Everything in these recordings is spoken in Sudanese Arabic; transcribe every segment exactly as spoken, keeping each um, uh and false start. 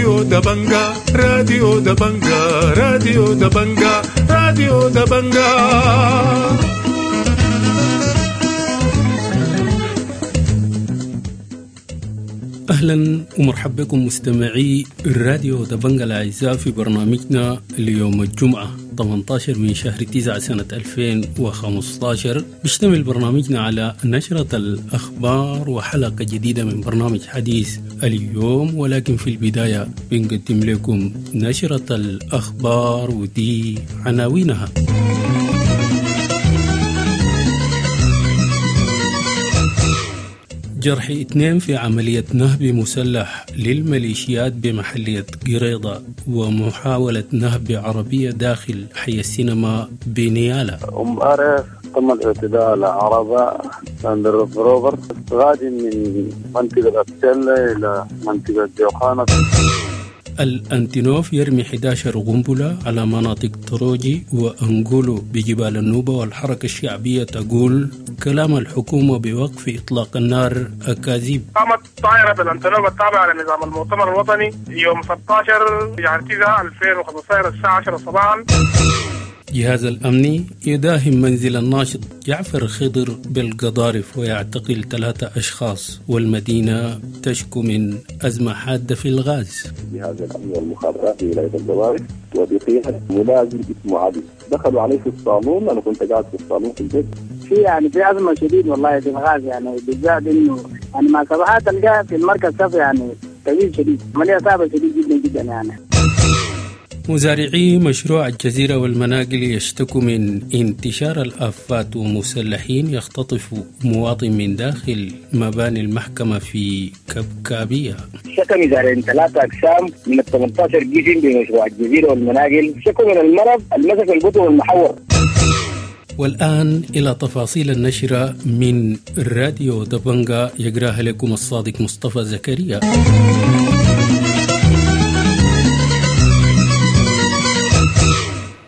راديو دبنجا راديو دبنجا راديو دبنجا راديو دبنجا. أهلا ومرحبا بكم مستمعي الراديو دبنجا الأعزاء في برنامجنا اليوم الجمعة ثمانية عشر من شهر تسعة سنة ألفين وخمسة عشر. بيشتمل برنامجنا على نشرة الأخبار وحلقة جديدة من برنامج حديث اليوم، ولكن في البداية بنقدم لكم نشرة الأخبار ودي عناوينها. جرح اثنين في عملية نهب مسلح للميليشيات بمحلية قريضة ومحاولة نهب عربية داخل حي السينما بنيالا. أمبارح تم الاعتداء على عربة لاند روفر غادي من منطقة أبتلة إلى منطقة جوخانة. الأنتينوف يرمي إحدى عشرة قنبلة على مناطق تروجي وأنغولو بجبال النوبة، والحركة الشعبية تقول كلام الحكومة بوقف إطلاق النار أكاذيب. قامت طائرة الأنتينوف التابعة لنظام المؤتمر الوطني يوم ستة عشر يعني تسعة ألفين وخمسة عشر الساعة عشرة صباحا. جهاز الأمني يداهم منزل الناشط جعفر خضر بالقضارف ويعتقل ثلاثة أشخاص، والمدينة تشكو من أزمة حادة في الغاز. جهاز الأمن والمخابرات في ولاية القضارف وبقيادة ملازم اسمه علي دخلوا عليه في الصالون، أنا كنت قاعد في الصالون في البيت. في يعني في أزمة شديد والله في الغاز، يعني بالذات إنه يعني ما صباحات تلقاها في المركز صف يعني طويل شديد، عملية صعبة شديد جدا جدا يعني. مزارعي مشروع الجزيرة والمناقل يشتكوا من انتشار الآفات ومسلحين يختطفوا مواطن من داخل مباني المحكمة في كبكابية. شكى مزارعين ثلاثة أقسام من ال ثمانية عشر جيش بمشروع الجزيرة والمناقل، شكوا من المرض المسك البطن والمحور. والآن إلى تفاصيل النشرة من راديو دبنجا يقراها لكم الصادق مصطفى زكريا.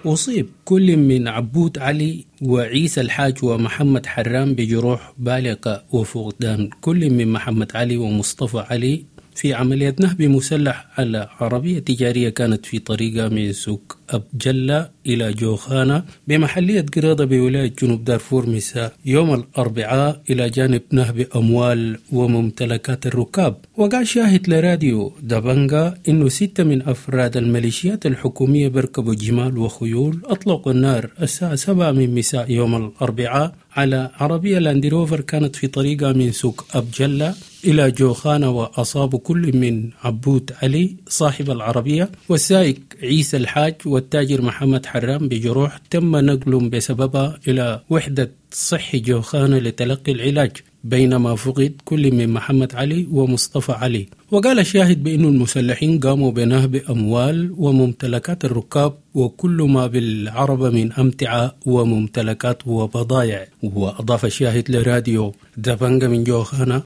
أصيب كل من عبود علي وعيسى الحاج ومحمد حرام بجروح بالغة وفقدان كل من محمد علي ومصطفى علي في عملية نهب مسلح على عربية تجارية كانت في طريقة من سوق أبجلة إلى جوخانة بمحلية قريضة بولاية جنوب دارفور مساء يوم الأربعاء، إلى جانب نهب أموال وممتلكات الركاب. وقع شاهد لراديو دبنجا إنه ستة من أفراد الميليشيات الحكومية بركبوا جمال وخيول أطلقوا النار الساعة سبعة من مساء يوم الأربعاء على عربية لاندروفر كانت في طريقة من سوق أبجلة إلى جوخانة، وأصابوا كل من عبود علي صاحب العربية والسائق عيسى الحاج والتاجر محمد حرام بجروح تم نقلهم بسببها إلى وحدة صحي جوخانة لتلقي العلاج، بينما فقد كل من محمد علي ومصطفى علي. وقال الشاهد بأن المسلحين قاموا بنهب أموال وممتلكات الركاب وكل ما بالعربة من أمتعة وممتلكات وبضائع. وأضاف الشاهد لراديو دبنجا من جوخانة: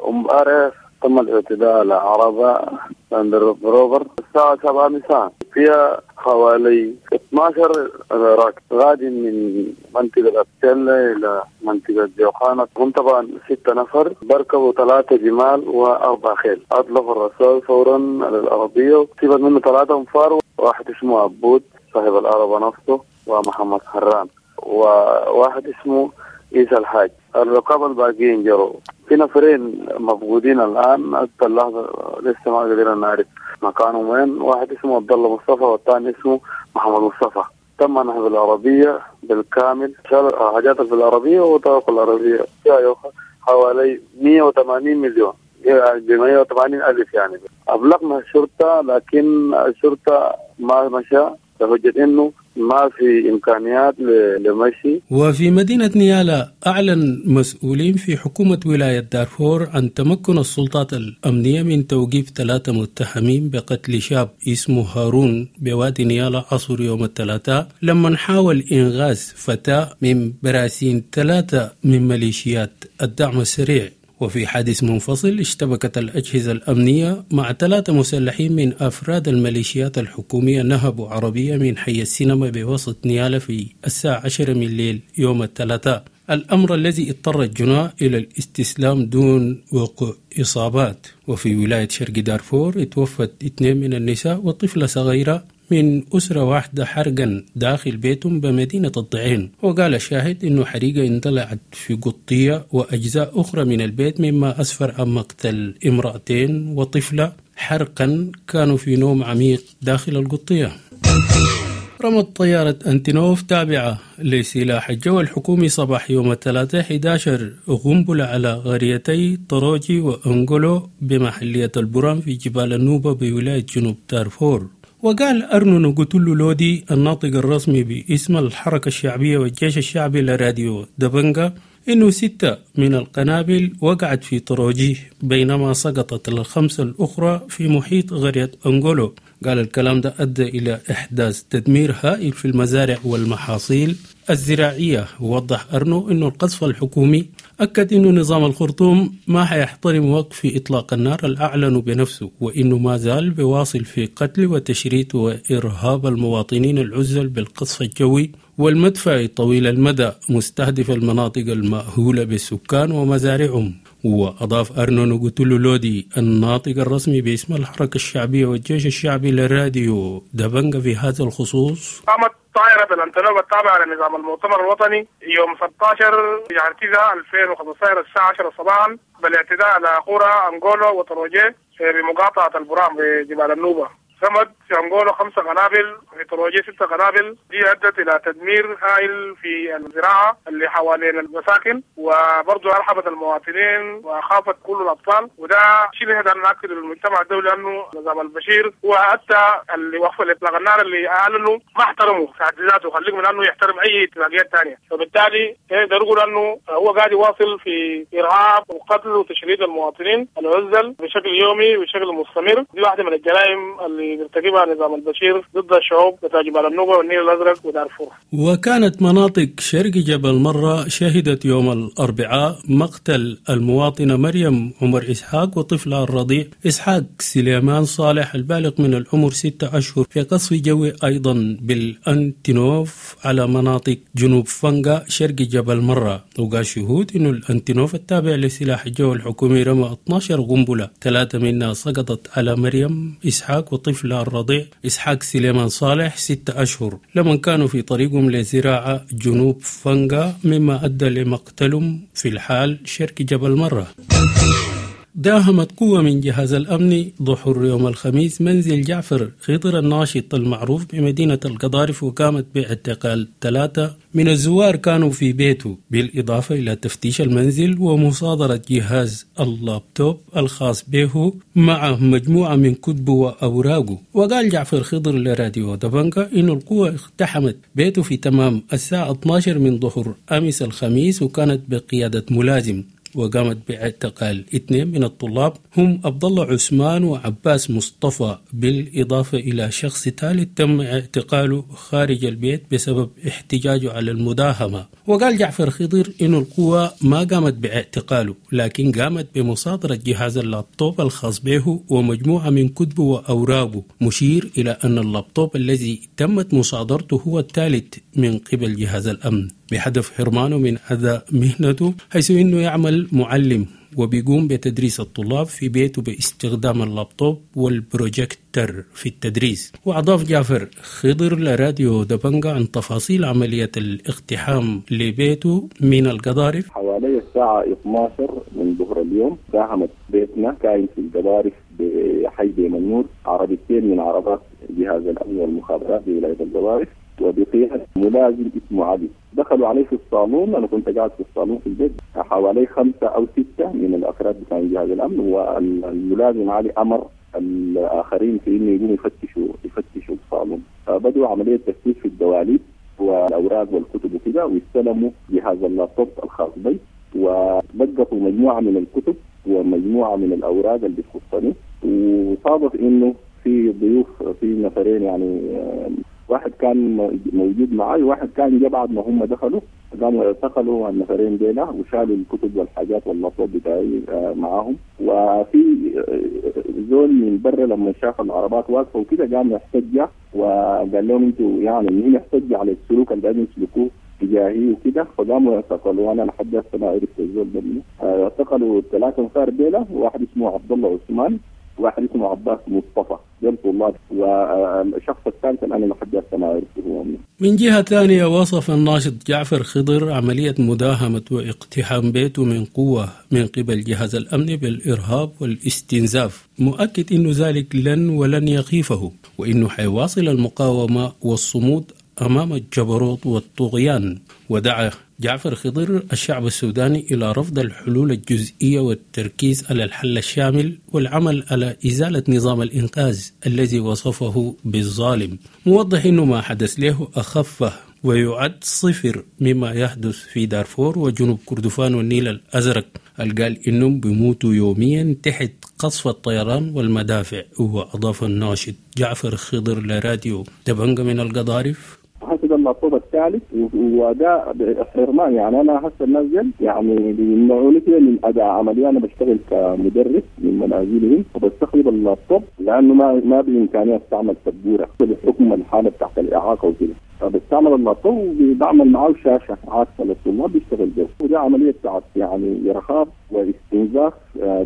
أمبارح تم الاعتداء على عربة لاند روفر الساعة سبعة مساء، فيها حوالي اثنا عشر راكب غادي من منطقة أبتلة إلى منطقة جوخانة. هم طبعا ستة نفر بركبوا ثلاثة جمال وأربع خيل. أطلقوا الرصاص فورا على العربية وصيبت منه ثلاثة أنفار، واحد اسمه عبود صاحب العربة نفسه ومحمد حران وواحد اسمه عيسى الحاج. الركاب الباقيين جروا، في نفرين مفقودين الآن حتى اللحظة لسه ما قدرنا نعرف مكانهم وين، واحد اسمه عبد الله مصطفى والثاني اسمه محمد مصطفى. تم نهب العربية بالكامل، شال حاجات في العربية وطرق العربية فيها حوالي مئة وثمانين مليون يعني ب مئة وثمانين ألف يعني. أبلغنا الشرطة لكن الشرطة ما مشى بحجة إنه ما في إمكانيات لمشي. وفي مدينة نيالا أعلن مسؤولين في حكومة ولاية دارفور عن تمكن السلطات الأمنية من توقيف ثلاثة متهمين بقتل شاب اسمه هارون بوادي نيالا عصر يوم الثلاثاء لما حاول إنغاز فتاة من براسين ثلاثة من ميليشيات الدعم السريع. وفي حادث منفصل اشتبكت الأجهزة الأمنية مع ثلاثة مسلحين من أفراد الميليشيات الحكومية نهبوا عربية من حي السينما بوسط نيالا في الساعة عشرة من الليل يوم الثلاثاء. الأمر الذي اضطر الجناة إلى الاستسلام دون وقوع إصابات. وفي ولاية شرق دارفور توفت اثنين من النساء وطفلة صغيرة من أسرة واحدة حرقا داخل بيتهم بمدينة الضعين. وقال الشاهد إنه حريقة اندلعت في قطية وأجزاء أخرى من البيت، مما أسفر عن مقتل امرأتين وطفلة حرقا كانوا في نوم عميق داخل القطية. رمت طيارة أنتينوف تابعة لسلاح الجو الحكومي صباح يوم الثلاثاء أحد عشر قنبلة على قريتي طروجي وأنغولو بمحلية البرام في جبال النوبة بولاية جنوب دارفور. وقال أرنو نقتلو لودي الناطق الرسمي باسم الحركة الشعبية والجيش الشعبي لراديو دبنجا إنه ستة من القنابل وقعت في طروجي، بينما سقطت الخمسة الأخرى في محيط قرية أنغولو. قال الكلام ده أدى إلى إحداث تدمير هائل في المزارع والمحاصيل الزراعية. ووضح أرنو أنه القصف الحكومي أكد أنه نظام الخرطوم ما حيحترم وقف إطلاق النار الأعلن بنفسه، وإنه ما زال بواصل في قتل وتشريد وإرهاب المواطنين العزل بالقصف الجوي والمدفع طويل المدى مستهدف المناطق المأهولة بالسكان ومزارعهم. وأضاف أرنو نقتلو لودي الناطق الرسمي باسم الحركة الشعبية والجيش الشعبي للراديو دبنجا في هذا الخصوص: قامت طائرة الأنتونوف التابعة لنظام المؤتمر الوطني يوم ستة عشر يعني تسعة ألفين وخمسة عشر الساعة عشرة صباحا بالاعتداء على قرى أنغولو وطروجي بمقاطعة البرام بجبال النوبة. صمد في أنغولو خمسة قنابل، في طروجي ستة قنابل، دي أدت إلى تدمير هائل في الزراعة اللي حوالين المساكن، وبرضه أرحبت المواطنين وخافت كل الأطفال. وده شيء نقدر نأكد للمجتمع الدولي أنه نظام البشير هو حتى اللي وقف الإطلاق النار اللي أعلنوا ما احترموا في حد ذاته، خليك من أنه يحترم أي اتفاقيات ثانية. فبالتالي نقدر نقول أنه هو قاعد يواصل في إرهاب وقتل وتشريد المواطنين العزل بشكل يومي وبشكل مستمر. دي واحدة من الجرائم اللي يرتكبها نظام البشير ضد الشعوب بتاع جبال النوبة والنيل الأزرق ودارفور. وكانت مناطق شرق جبل مرة شهدت يوم الأربعاء مقتل المواطنة مريم عمر إسحاق وطفلها الرضيع إسحاق سليمان صالح البالغ من العمر ستة أشهر في قصف جوي أيضا بالأنتينوف على مناطق جنوب فنجا شرق جبل مرة. وقال شهود إنه الأنتينوف التابع لسلاح الجو الحكومي رمى اثنا عشر قنبلة، ثلاثة منها سقطت على مريم إسحاق وطفلها الرضيع إسحاق سليمان صالح ستة أشهر لمن كانوا في طريقهم لزراعة جنوب فنجا، مما أدى لمقتلهم في الحال شرق جبل مرة. داهمت قوة من جهاز الأمن ظهر يوم الخميس منزل جعفر خضر الناشط المعروف بمدينة القضارف، وقامت باعتقال ثلاثة من الزوار كانوا في بيته، بالإضافة إلى تفتيش المنزل ومصادرة جهاز اللابتوب الخاص به مع مجموعة من كتبه وأوراقه. وقال جعفر خضر لراديو دبنجا إن القوة اقتحمت بيته في تمام الساعة اثنا عشر من ظهر أمس الخميس، وكانت بقيادة ملازم، وقامت باعتقال اثنين من الطلاب هم عبد الله عثمان وعباس مصطفى، بالإضافة إلى شخص ثالث تم اعتقاله خارج البيت بسبب احتجاجه على المداهمة. وقال جعفر خضر إن القوة ما قامت باعتقاله، لكن قامت بمصادرة جهاز اللابتوب الخاص به ومجموعة من كتبه وأوراقه، مشير إلى أن اللابتوب الذي تمت مصادرته هو الثالث من قبل جهاز الأمن بهدف حرمانه من أداء مهنته، حيث إنه يعمل معلم وبيقوم بتدريس الطلاب في بيته باستخدام اللابتوب والبروجيكتر في التدريس. وأضاف جعفر خضر لراديو دبنجا عن تفاصيل عملية الاقتحام لبيته من القضارف. حوالي الساعة اثنا عشر من ظهر اليوم داهمت بيتنا كاين في القضارف بحي بيمنور عربيتين من عربات جهاز الأمن والمخابرات بولاية القضارف، وبقيادة ملازم اسمه علي. دخلوا علي في الصالون، أنا كنت قاعد في الصالون في البيت، حوالي خمسة أو ستة من الأفراد بتاع جهاز الأمن، والملازم علي أمر الآخرين في إنه يقوموا يفتشوا يفتشوا الصالون. فبدوا عملية تفتيش في الدواليب والأوراق والكتب وكده، واستلموا جهاز اللابتوب الخاص بي، وبقطوا مجموعة من الكتب ومجموعة من الأوراق اللي بتخصني. وصادف إنه في ضيوف، في نفرين يعني، واحد كان موجود معي وواحد كان جاء بعد ما هم دخلوا، قاموا اعتقلوا النفرين ديلا وشالوا الكتب والحاجات واللابتوب بتاعي معاهم. وفي زول من برا لما شاف العربات واقفه وكده قام احتج وقال لهم انتوا يعني مين احتج على السلوك اللي قاعدين يسلكوه اتجاهي وكده، فقاموا اعتقلوا. انا لحد هسه ما عرفت الزول ده منو. اعتقلوا ثلاثة انفار ديلا، واحد اسمه عبد الله عثمان، واحد اسمه عباس مصطفى، دول طلاب، والشخص الثالث انا لحد هسه ما عرفته هو منو. من جهة ثانية وصف الناشط جعفر خضر عملية مداهمة واقتحام بيته من قوة من قبل جهاز الأمن بالإرهاب والاستنزاف، مؤكد أنه ذلك لن ولن يخيفه، وأنه حيواصل المقاومة والصمود أمام الجبروت والطغيان. ودعا جعفر خضر الشعب السوداني إلى رفض الحلول الجزئية والتركيز على الحل الشامل والعمل على إزالة نظام الإنقاذ الذي وصفه بالظالم، موضح أنه ما حدث له أخفه ويعد صفر مما يحدث في دارفور وجنوب كردفان والنيل الأزرق، قال إنهم بيموتوا يوميا تحت قصف الطيران والمدافع. وأضاف الناشط جعفر خضر لراديو دبنجة من القضارف: هسه اللابتوب الثالث، وده حرمان. يعني انا هسه الناس يعني بيمنعوني كده من اداء عملي. انا بشتغل كمدرس من منازلهم وبستخدم اللابتوب لانه ما ما بامكاني استعمل سبورة بحكم الحالة بتاعت الاعاقة وكده، فبستعمل اللابتوب وبعمل معاه شاشة عاكسه للطلاب بيشتغل بيه. وده عملية بتاعت يعني ارهاب واستنزاف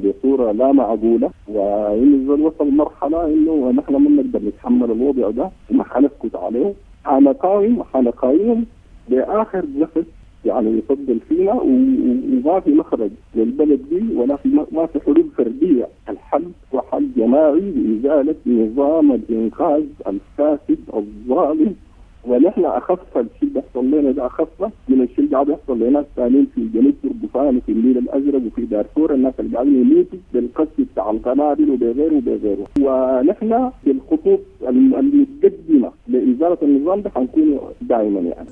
بصورة لا معقولة، وانه الزول وصل مرحلة انه نحن ما بنقدر نتحمل الوضع ده وما حنسكت عليه، حنقاوم حنقاوم لاخر نفس يعني يفضل فينا، وما في مخرج للبلد دي ولا في ما في حلول فردية. الحل هو حل جماعي لازالة نظام الانقاذ الفاسد الظالم. ونحن اخف الشيء اللي بيحصل لنا ده اخف من الشيء اللي قاعد يحصل لناس ثانيين في جنوب كردفان وفي النيل الازرق وفي دارفور، الناس اللي قاعدين يموتوا بالقصف بتاع القنابل وبغيره وبغيره. ونحن في الخطوط المتقدمة لازالة النظام ده حنكون دائما يعني.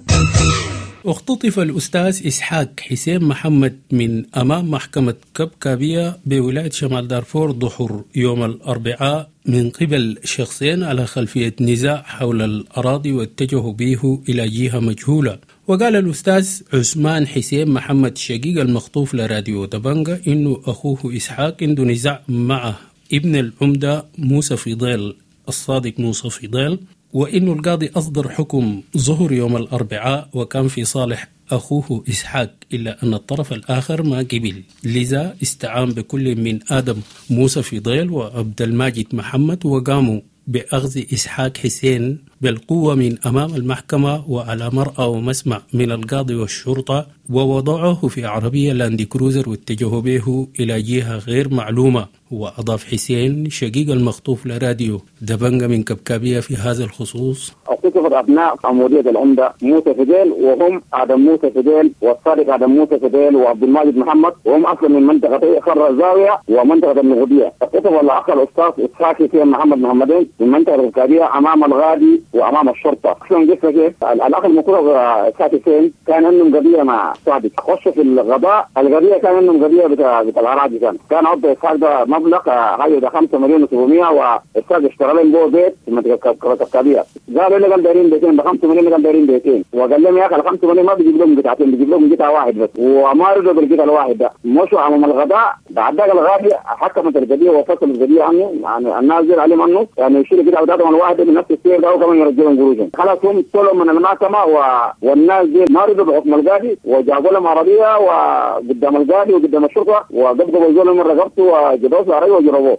اختطف الأستاذ إسحاق حسين محمد من أمام محكمة كبكابية بولاية شمال دارفور ظهر يوم الأربعاء من قبل شخصين على خلفية نزاع حول الأراضي واتجهوا به إلى جهة مجهولة. وقال الأستاذ عثمان حسين محمد شقيق المخطوف لراديو دبنجة إنه أخوه إسحاق عنده نزاع مع ابن العمدة موسى فضيل الصادق موسى فضيل، وإنه القاضي أصدر حكم ظهر يوم الأربعاء وكان في صالح أخوه إسحاق، إلا أن الطرف الآخر ما قبل، لذا استعان بكل من آدم موسى فضيل وعبد الماجد محمد وقاموا بأخذ إسحاق حسين بالقوة من أمام المحكمة وعلى مرأى ومسمع من القاضي والشرطة، ووضعوه في عربية لاندي كروزر واتجهوا به إلى جهة غير معلومة. وأضاف حسين شقيق المخطوف لراديو دبنجة من كبكابية في هذا الخصوص: اختطفت أبناء عمودية العمدة موسى فضيل، وهم آدم موسى فضيل والصادق آدم موسى فضيل وعبد الماجد محمد، وهم أصلا من منطقة خر الزاوية ومنطقة النغودية. اختطف الأخ الأستاذ إسحاق حسين محمد محمدين من منطقة الكبكابية أمام الغادي وأمام الشرطة. أصلا قصة كيف الأخ المخطوف إسحاق حسين كان عندهم قضية مع صادق، خشوا في الغضاء، القضية كان عندهم قضية بتاع بتاع الأراضي، كان كان عبد إسحاق ده مبلغ حاجة ده خمسة مليون وسبعمية، وإسحاق اشتغل لهم جوه بيت في منطقة الكبكابية. قالوا لي كان دايرين بيتين ب خمسة مليون، كان دايرين بيتين، وقال لهم يا اخي ال خمسة مليون ما بيجيب لهم قطعتين، بيجيب لهم قطعه واحد بس، وما رضوا بالقطعه الواحد ده، مشوا امام الغداء. بعد ذاك الغادي حكمت القضية وفصلت القضية عنه، يعني الناس زي عليهم عنه يعني يشيلوا القطعة بتاعتهم الواحدة من نفس السير ده وكمان يرجعوا لهم قروشهم. خلاص هم طلعوا من المحكمة و... والناس دي ما رضوا بحكم القاضي، وجابوا لهم عربية وقدام القاضي وقدام الشرطة وقبضوا الزول من رقبته وجبروه في العربية وجربوه.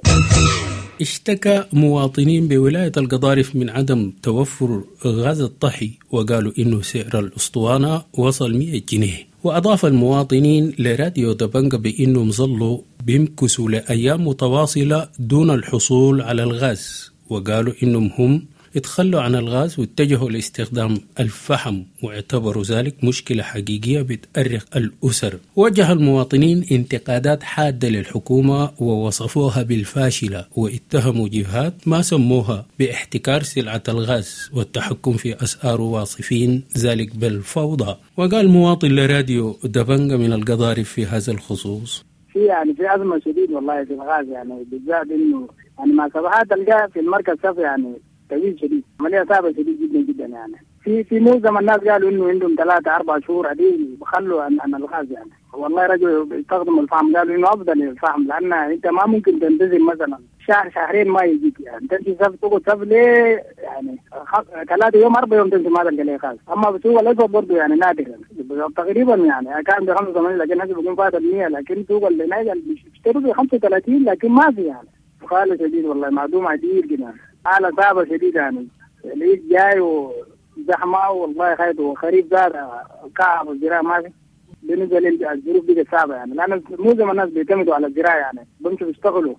اشتكى مواطنين بولاية القضارف من عدم توفر غاز الطحي، وقالوا إنه سعر الأسطوانة وصل مئة جنيه. وأضاف المواطنين لراديو دبنجة بأنهم ظلوا بيمكثوا لأيام متواصلة دون الحصول على الغاز، وقالوا إنهم هم اتخلوا عن الغاز واتجهوا لاستخدام الفحم، واعتبروا ذلك مشكلة حقيقية بتأرق الأسر. وجه المواطنين انتقادات حادة للحكومة ووصفوها بالفاشلة، واتهموا جهات ما سموها باحتكار سلعة الغاز والتحكم في أسعار، واصفين ذلك بالفوضى. وقال مواطن لراديو دبنجة من القضارف في هذا الخصوص: في يعني في أزمة شديد والله في الغاز، يعني بالذات إنه يعني ما صباحات تلقاه في المركز صف يعني طويل شديد، عملية صعبة شديد جدا جدا يعني. في في معظم الناس قالوا إنه عندهم ثلاثة أربع شهور عديل بخلوا عن, عن الغاز يعني. والله رجعوا يستخدموا الفحم، قالوا إنه أفضل الفحم، لأن أنت ما ممكن تنتظر مثلا شهر شهرين ما يجيك يعني، تمشي صف تقعد صف ليه يعني ثلاثة يوم أربع يوم تمشي ما تلقى ليه خالص. أما بسوق الأسود برضه يعني نادر تقريبا يعني كان ب خمسة وثمانين لكن هسه بيكون فات المية، لكن سوق اللي بيشتروا ب خمسة وثلاثين لكن ما في يعني خالص شديد والله، معدوم عديد كده، حالة صعبة شديدة يعني. العيد جاي وزحمة والله خايف، وخريف زاد كعب الزراعة ما في. بالنسبة للظروف بقت صعبة يعني، لأن معظم الناس بيعتمدوا على الزراعة يعني، بيمشوا بيشتغلوا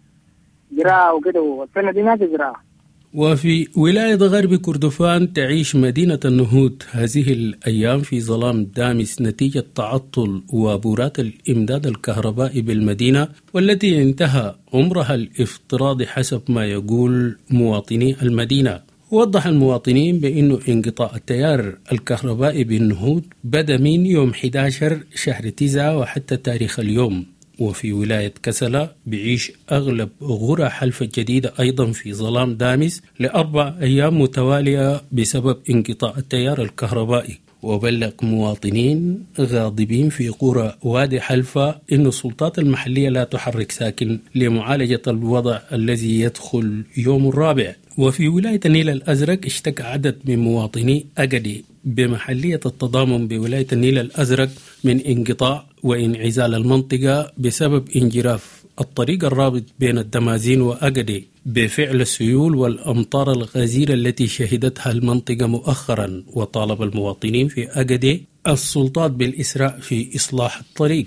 زراعة وكده، والسنة دي ما في زراعة. وفي ولاية غرب كردفان تعيش مدينة النهود هذه الأيام في ظلام دامس نتيجة تعطل وابورات الإمداد الكهربائي بالمدينة، والتي انتهى عمرها الافتراضي حسب ما يقول مواطني المدينة. وضح المواطنين بأنه انقطاع التيار الكهربائي بالنهود بدأ من يوم أحد عشر شهر تسعة وحتى تاريخ اليوم. وفي ولاية كسلة بيعيش أغلب غرى حلفة الجديدة أيضا في ظلام دامس لأربع أيام متوالية بسبب انقطاع التيار الكهربائي. وبلغ مواطنين غاضبين في قرى وادي حلفة إن السلطات المحلية لا تحرك ساكن لمعالجة الوضع الذي يدخل يوم الرابع. وفي ولاية النيل الأزرق اشتكى عدد من مواطني أجدي بمحلية التضامن بولاية النيل الأزرق من انقطاع وانعزال المنطقة بسبب انجراف الطريق الرابط بين الدمازين وأجدي بفعل السيول والأمطار الغزيرة التي شهدتها المنطقة مؤخرا. وطالب المواطنين في أجدي السلطات بالإسراع في إصلاح الطريق.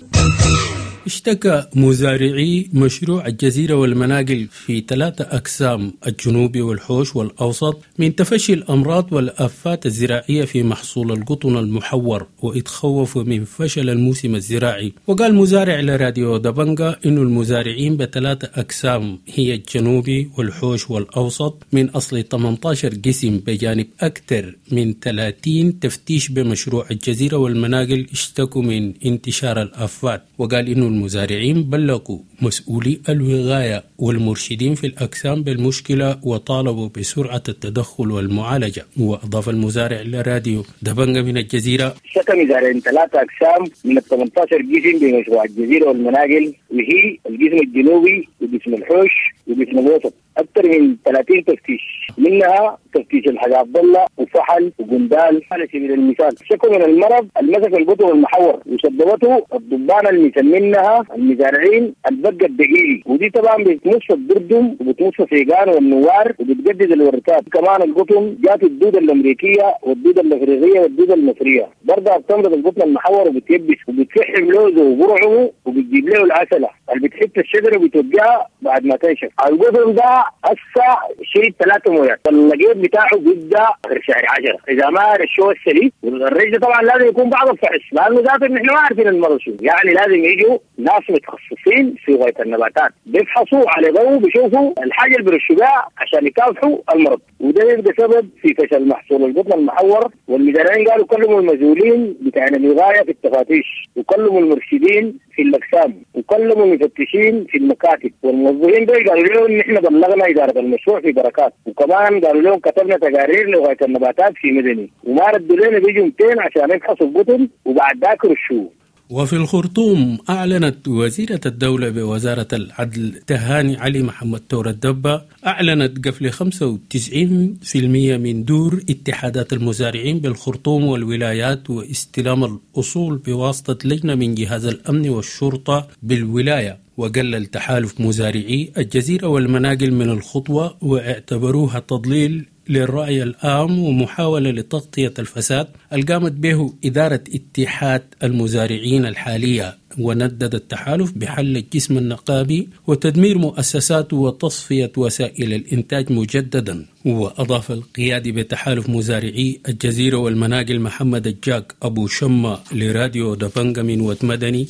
اشتكى مزارعي مشروع الجزيرة والمناقل في ثلاثة أقسام الجنوبي والحوش والأوسط من تفشي الأمراض والآفات الزراعية في محصول القطن المحور، واتخوفوا من فشل الموسم الزراعي. وقال مزارع لراديو دبنجا إنه المزارعين بثلاثة أقسام هي الجنوبي والحوش والأوسط من أصل ثمانية عشر قسم بجانب أكثر من ثلاثين تفتيش بمشروع الجزيرة والمناقل اشتكوا من انتشار الآفات. وقال إنه المزارعين بلغوا مسؤولي الوغاية والمرشدين في الأقسام بالمشكلة وطالبوا بسرعة التدخل والمعالجة. وأضاف المزارع لراديو دبنجا من الجزيرة: شكى مزارعين ثلاثة أقسام من ال ثمانية عشر قسم بمشروع الجزيرة والمناقل، وهي القسم الجنوبي وقسم الحوش وقسم الوسط، أكثر من ثلاثين تفتيش، منها تفتيش الحاج عبد الله وفحل وجندال على سبيل المثال. شكوا من المرض المسك القطن المحور وسببته الضبانه اللي مسمينها المزارعين البقه الدقيقي، ودي طبعا بتمص الدردم وبتمص السيقان والنوار وبتجدد الوركات. كمان القطن جات الدوده الامريكيه والدوده الافريقيه والدوده المصريه، برضه بتمرض القطن المحور وبتيبس وبتفحم لوزه وبرعه وبتجيب له العسله اللي بتحط الشجره وبتوجعها بعد ما تنشف. القطن ده هسه شيء ثلاثة مويات، اللقيط بتاعه بيبدا اخر شهر عشرة اذا ما رشوه السليم. والرش ده طبعا لازم يكون بعض الفحص، لانه ذاته نحن ما عارفين المرض شو، يعني لازم يجوا ناس متخصصين في غايه النباتات بيفحصوا على ضوء بيشوفوا الحاجه اللي بيرشوا بها عشان يكافحوا المرض، وده يبقى سبب في فشل محصول القطن المحور. والمزارعين قالوا كلموا المسؤولين بتاع الوغايه في التفاتيش، وكلموا المرشدين في الاقسام، وكلموا المفتشين في المكاتب، والموظفين دول قالوا لهم ان احنا بلغنا اداره المشروع في بركات، وكمان قالوا لهم كتبنا تقارير لغايه النباتات في مدني، وما ردوا لنا بيجوا مئتين عشان يفحصوا القطن وبعد ذاك رشوه. وفي الخرطوم أعلنت وزيرة الدولة بوزارة العدل تهاني علي محمد تور الدبة أعلنت قفل خمسة وتسعين بالمئة من دور اتحادات المزارعين بالخرطوم والولايات واستلام الأصول بواسطة لجنة من جهاز الأمن والشرطة بالولاية. وقلل تحالف مزارعي الجزيرة والمناقل من الخطوة واعتبروها تضليل للرأي العام ومحاولة لتغطية الفساد اللي قامت به إدارة اتحاد المزارعين الحالية. وندد التحالف بحل الجسم النقابي وتدمير مؤسساته وتصفية وسائل الإنتاج مجددا. وأضاف القيادي بتحالف مزارعي الجزيرة والمناقل محمد الجاك أبو شمة لراديو دبنجا من ود مدني: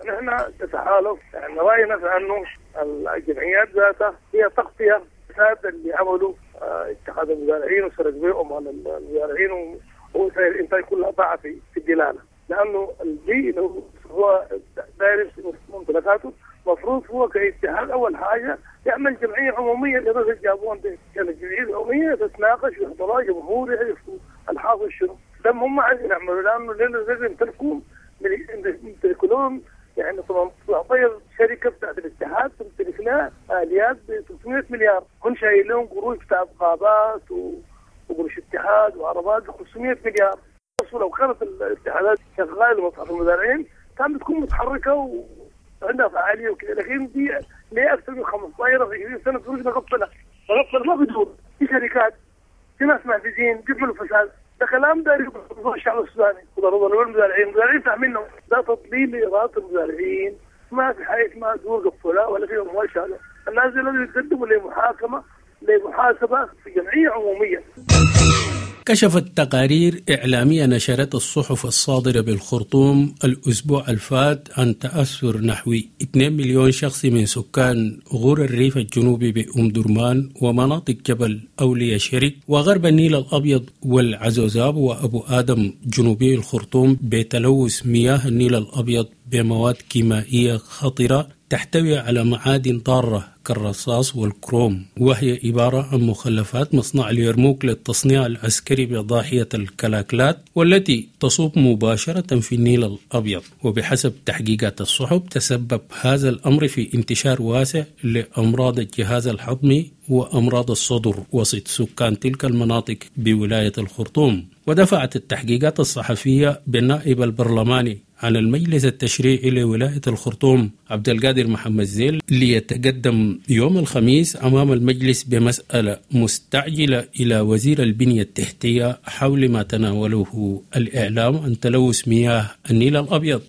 نحن كتحالف يعني رأينا في أنه الجمعيات ذاتها هي تغطية الفساد اللي عملوا اتحاد المزارعين وسرق بيهم على المزارعين ووسائل الانتاج كلها ضاع في في الدلاله، لانه البي لو هو داير ممتلكاته المفروض هو كاتحاد اول حاجه يعمل جمعيه عموميه للناس اللي جابوهم دي، يعني الجمعيه العموميه تتناقش ويحضرها جمهور يعرفوا الحاصل شنو، ده هم عايزين يعملوا لانه لازم يمتلكوا يمتلكوا لهم يعني تسعطعش شركه بتاعت الاتحاد تمتلك لها اليات ب ثلاثمئة مليار، هم شايلين لهم قروش بتاعت غابات و... وقروش اتحاد وعربات ب خمسمية مليار. لو كانت الاتحادات شغالة لمصلحة المزارعين كانت بتكون متحركة وعندها فعالية وكذا، لكن دي ليه اكثر من خمسة عشر عشرين سنة فلوس مقفلة مقفلة ما بدور، في شركات، في ناس معفزين بيعملوا فساد. ده كلام داير يرضى الشعب السوداني وضروري المزارعين، المزارعين فاهمينه ده تضليل لإرادة المزارعين. ما في حاجة اسمها دور قفلها ولا في اموال شالة، الناس دي لازم يتقدموا لمحاكمه لمحاسبه في جمعية عموميه. كشفت تقارير إعلامية نشرت الصحف الصادرة بالخرطوم الأسبوع الفات عن تأثر نحو اثنين مليون شخص من سكان غور الريف الجنوبي بأم درمان ومناطق جبل أولياء شرق وغرب النيل الأبيض والعزوزاب وأبو آدم جنوبي الخرطوم بتلوث مياه النيل الأبيض بمواد كيميائية خطرة تحتوي على معادن ضارة كالرصاص والكروم، وهي عبارة عن مخلفات مصنع اليرموك للتصنيع العسكري بضاحية الكلاكلات والتي تصب مباشرة في النيل الأبيض. وبحسب تحقيقات الصحف تسبب هذا الأمر في انتشار واسع لأمراض الجهاز الهضمي وأمراض الصدر وسط سكان تلك المناطق بولاية الخرطوم. ودفعت التحقيقات الصحفية بالنائب البرلماني عن المجلس التشريعي لولاية الخرطوم عبد القادر محمد زيل ليتقدم يوم الخميس أمام المجلس بمسألة مستعجلة إلى وزير البنية التحتية حول ما تناوله الإعلام عن تلوث مياه النيل الأبيض.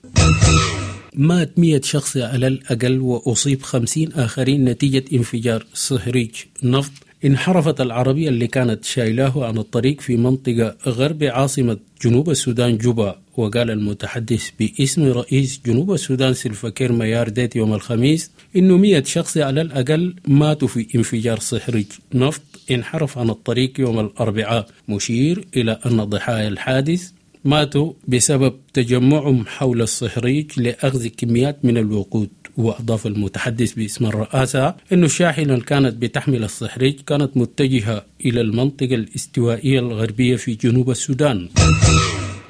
مات مئة شخص على الأقل وأصيب خمسين آخرين نتيجة انفجار صهريج نفط انحرفت العربية اللي كانت شايلاه عن الطريق في منطقة غرب عاصمة جنوب السودان جوبا. وقال المتحدث باسم رئيس جنوب السودان سلفاكير ميار ديت يوم الخميس إنه مئة شخص على الأقل ماتوا في انفجار صهريج نفط انحرف عن الطريق يوم الأربعاء، مشير إلى أن ضحايا الحادث ماتوا بسبب تجمعهم حول الصهريج لأخذ كميات من الوقود. وأضاف المتحدث باسم الرئاسة أن الشاحنة اللي كانت بتحمل الصهريج كانت متجهة إلى المنطقة الاستوائية الغربية في جنوب السودان.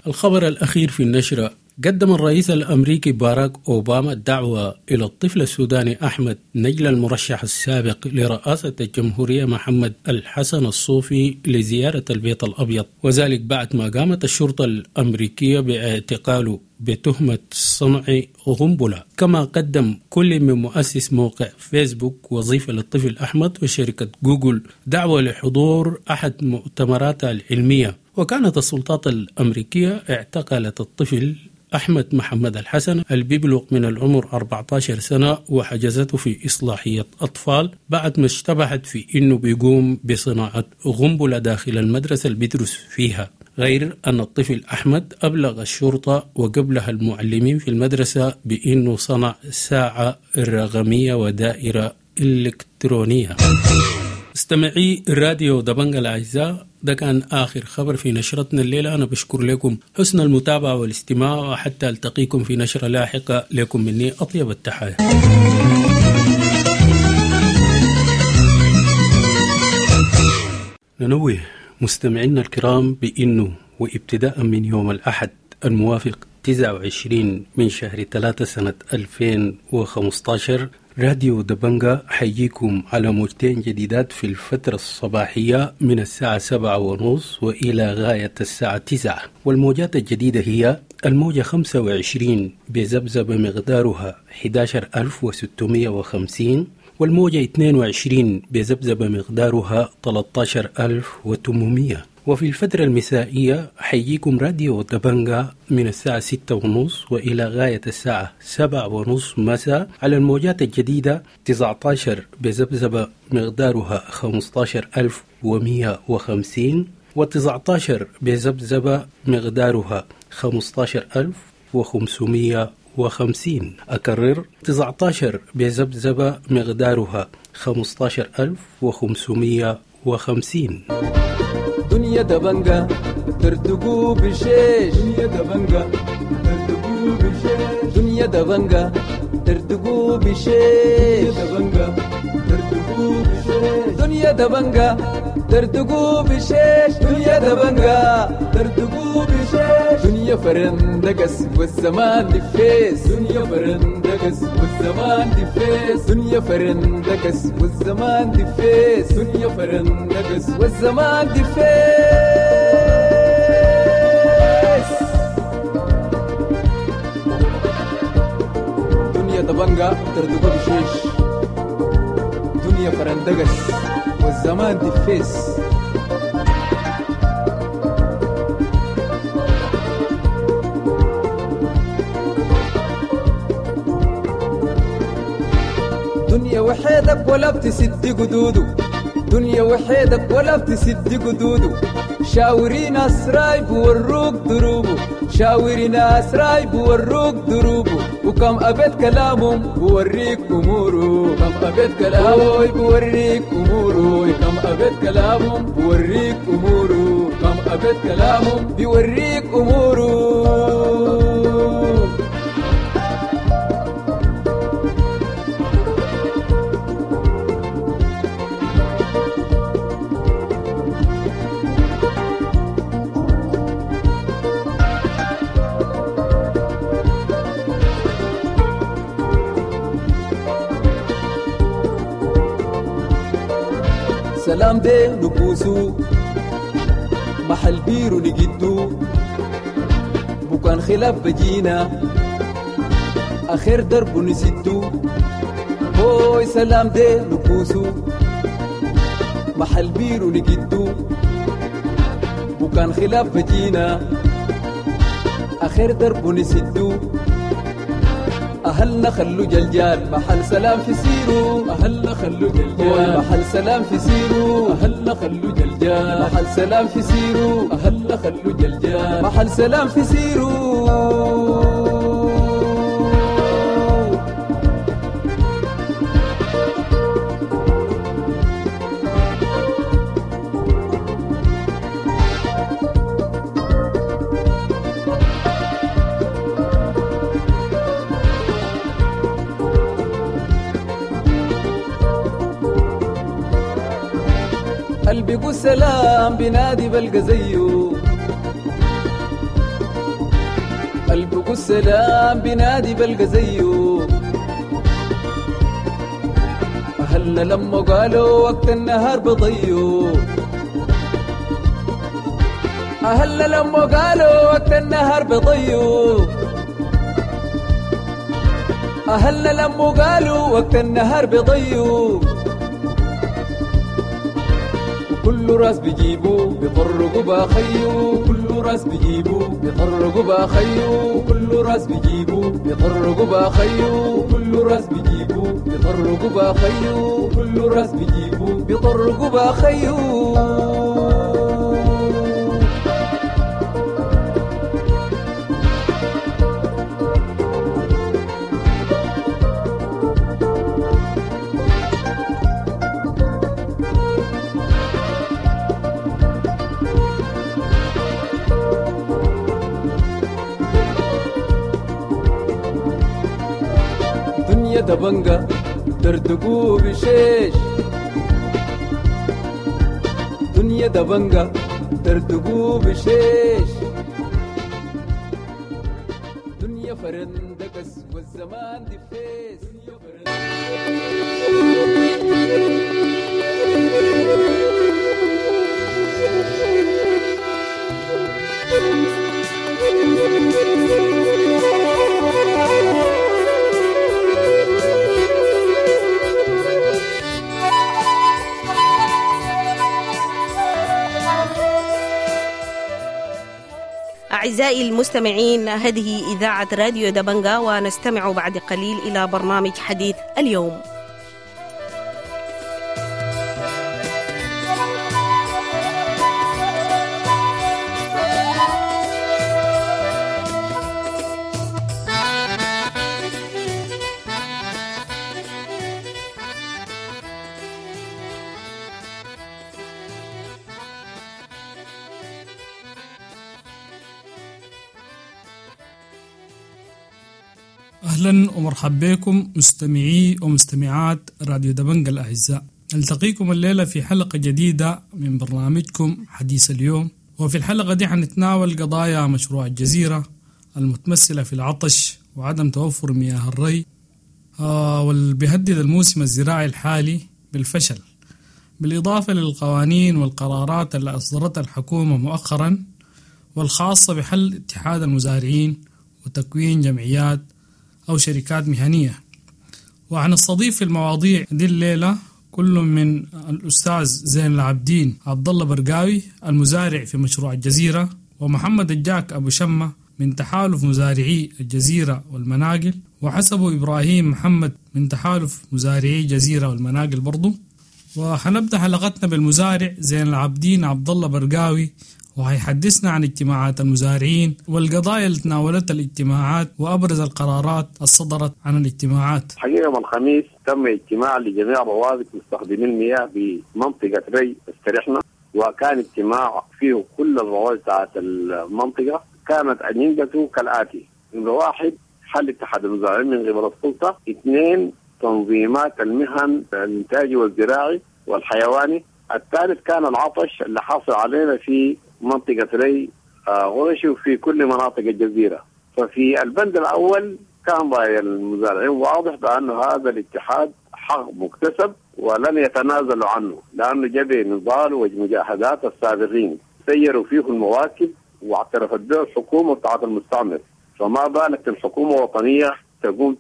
الخبر الأخير في النشرة: قدم الرئيس الأمريكي باراك أوباما الدعوة إلى الطفل السوداني أحمد نجل المرشح السابق لرئاسة الجمهورية محمد الحسن الصوفي لزيارة البيت الأبيض، وذلك بعد ما قامت الشرطة الأمريكية باعتقاله بتهمة صنع قنبلة. كما قدم كل من مؤسس موقع فيسبوك وظيفة للطفل أحمد وشركة جوجل دعوة لحضور أحد مؤتمراتها العلمية. وكانت السلطات الأمريكية اعتقلت الطفل أحمد محمد الحسن اللي بيبلغ من العمر أربعة عشر سنة وحجزته في إصلاحية أطفال بعد ما اشتبهت في إنه بيقوم بصناعة قنبلة داخل المدرسة اللي بيدرس فيها. غير أن الطفل أحمد أبلغ الشرطة وقبلها المعلمين في المدرسة بأنه صنع ساعة رقمية ودائرة إلكترونية. استمعي راديو دبنجا الأعزاء، ده كان آخر خبر في نشرتنا الليلة. أنا بشكر لكم حسن المتابعة والاستماع، وحتى ألتقيكم في نشرة لاحقة. لكم مني أطيب التحايا. ننوه مستمعينا الكرام بأنه وابتداء من يوم الأحد الموافق تسعة وعشرين من شهر ثلاثة سنة ألفين وخمسة عشر راديو دبنجا حيجيكم على موجتين جديدات في الفترة الصباحية من الساعة سبعة ونص وإلى غاية الساعة تسعة. والموجات الجديدة هي الموجة خمسة وعشرين بذبذبة مقدارها أحد عشر ألف وستمائة وخمسين، والموجة اثنين وعشرين بذبذبة مقدارها ثلاثة عشر ألف وثمانمائة. وفي الفترة المسائية حيجيكم راديو دبنجا من الساعة ستة ونص وإلى غاية الساعة سبعة ونص مساء على الموجات الجديدة تسعة عشر بذبذبة مقدارها خمسة عشر ألف ومئة وخمسين، وتسعة عشر بذبذبة مقدارها خمسة عشر ألف وخمسمائة وخمسين. أكرر، تسعة عشر بذبذبة مقدارها خمسة عشر ألف وخمسمائة وخمسين. دنيا دبنجا ترتقو بشيش، دنيا دبنجا ترتقو بشيش، دنيا دبنجا ترتقو بشيش، دبنجا ترتقو بشيش، دنيا دبنجا ترتقو بشيش، دنيا دبنجا ترتقو بشيش، دنيا فرندقس والزمان دفيس، دنيا فرندقس والزمان والزمان دفيس. دنيا فرندقس والزمان دفيس، دنيا فرندقس والزمان دفيس. دنيا دبنجة تردقو بشيش، دنيا فرندقس والزمان دفيس. دنيا وحيدك ولا بتسد قدوده، دنيا وحيدك ولا بتسد قدوده. شاوري ناس رايب وروك دروبه، شاوري ناس رايب وروك دروبه. وكم أبيت كلامهم بوريك أموره، كم أبيت كلامهم بوريك أموره، كم أبيت كلامهم بوريك أموره، كم أبيت كلامهم بيوريك أموره. سلام دي نبوسو محل بيرو نجدو، بكان خلاف بجينا آخر درب نسدو. هوي سلام دي نبوسو محل بيرو نجدو، بكان خلاف بجينا آخر درب نسدو. أهلنا خلو جلجال محل سلام في سيرو، أهلنا خلو جلجال محل سلام في سيرو، أهلنا خلو جلجال محل سلام في سيرو، أهلنا خلو جلجال محل سلام في سيرو. قلبي سلام بنادي بلقى زيه، قلبي سلام بنادي بلقى زيه. أهلنا لما قالوا وقت النهار بضيو، أهلنا لما قالوا وقت النهار بضيو، أهلنا لما قالوا وقت النهار بضيو. كل راس بيجيبو بيطرقوا باخيو، كل راس بيجيبو بيطرقوا باخيو، كل راس بيجيبو بيطرقوا باخيو، كل راس بيجيبو بيطرقوا باخيو، كل راس بيجيبو بيطرقوا باخيو. دبنجة دردقو بشيش، دنيا دبنجة دردقو بشيش، دنيا فرندقس والزمان دفيس. دنيا أعزائي المستمعين، هذه إذاعة راديو دبنجا، ونستمع بعد قليل إلى برنامج حديث اليوم. أهلا ومرحبا بكم مستمعي ومستمعات راديو دبنجا الأعزاء. نلتقيكم الليلة في حلقة جديدة من برنامجكم حديث اليوم، وفي الحلقة دي حنتناول قضايا مشروع الجزيرة المتمثلة في العطش وعدم توفر مياه الري، واللي بيهدد الموسم الزراعي الحالي بالفشل، بالإضافة للقوانين والقرارات اللي أصدرتها الحكومة مؤخرا والخاصة بحل اتحاد المزارعين وتكوين جمعيات أو شركات مهنية. وحنستضيف في المواضيع دي الليلة كل من الأستاذ زين العابدين عبد الله برقاوي المزارع في مشروع الجزيرة، ومحمد الجاك أبو شمة من تحالف مزارعي الجزيرة والمناقل، وحسبه إبراهيم محمد من تحالف مزارعي الجزيرة والمناقل برضو. وحنبدأ حلقتنا بالمزارع زين العابدين عبد الله برقاوي، وهيحدثنا عن اجتماعات المزارعين والقضايا اللي تناولتها الاجتماعات وأبرز القرارات الصدرت عن الاجتماعات. حقيقة يوم الخميس تم اجتماع لجميع روابط مستخدمي المياه بمنطقة ري استريحنا، وكان اجتماع فيه كل الروابط بتاعت المنطقة. كانت أجندته كالآتي: نمرة واحد، حل اتحاد المزارعين من قبل السلطة. اثنين، تنظيمات المهن الإنتاجي والزراعي والحيواني. الثالث كان العطش اللي حاصل علينا في منطقة ري غرشي وفي كل مناطق الجزيرة. ففي البند الأول كان رأي المزارعين واضح بأن هذا الاتحاد حق مكتسب ولن يتنازلوا عنه، لأنه جاب نضال ومجاهدات السابقين سيروا فيه المواكب واعترفت به الحكومة بتاعت المستعمر، فما بالك الحكومة الوطنية تقوم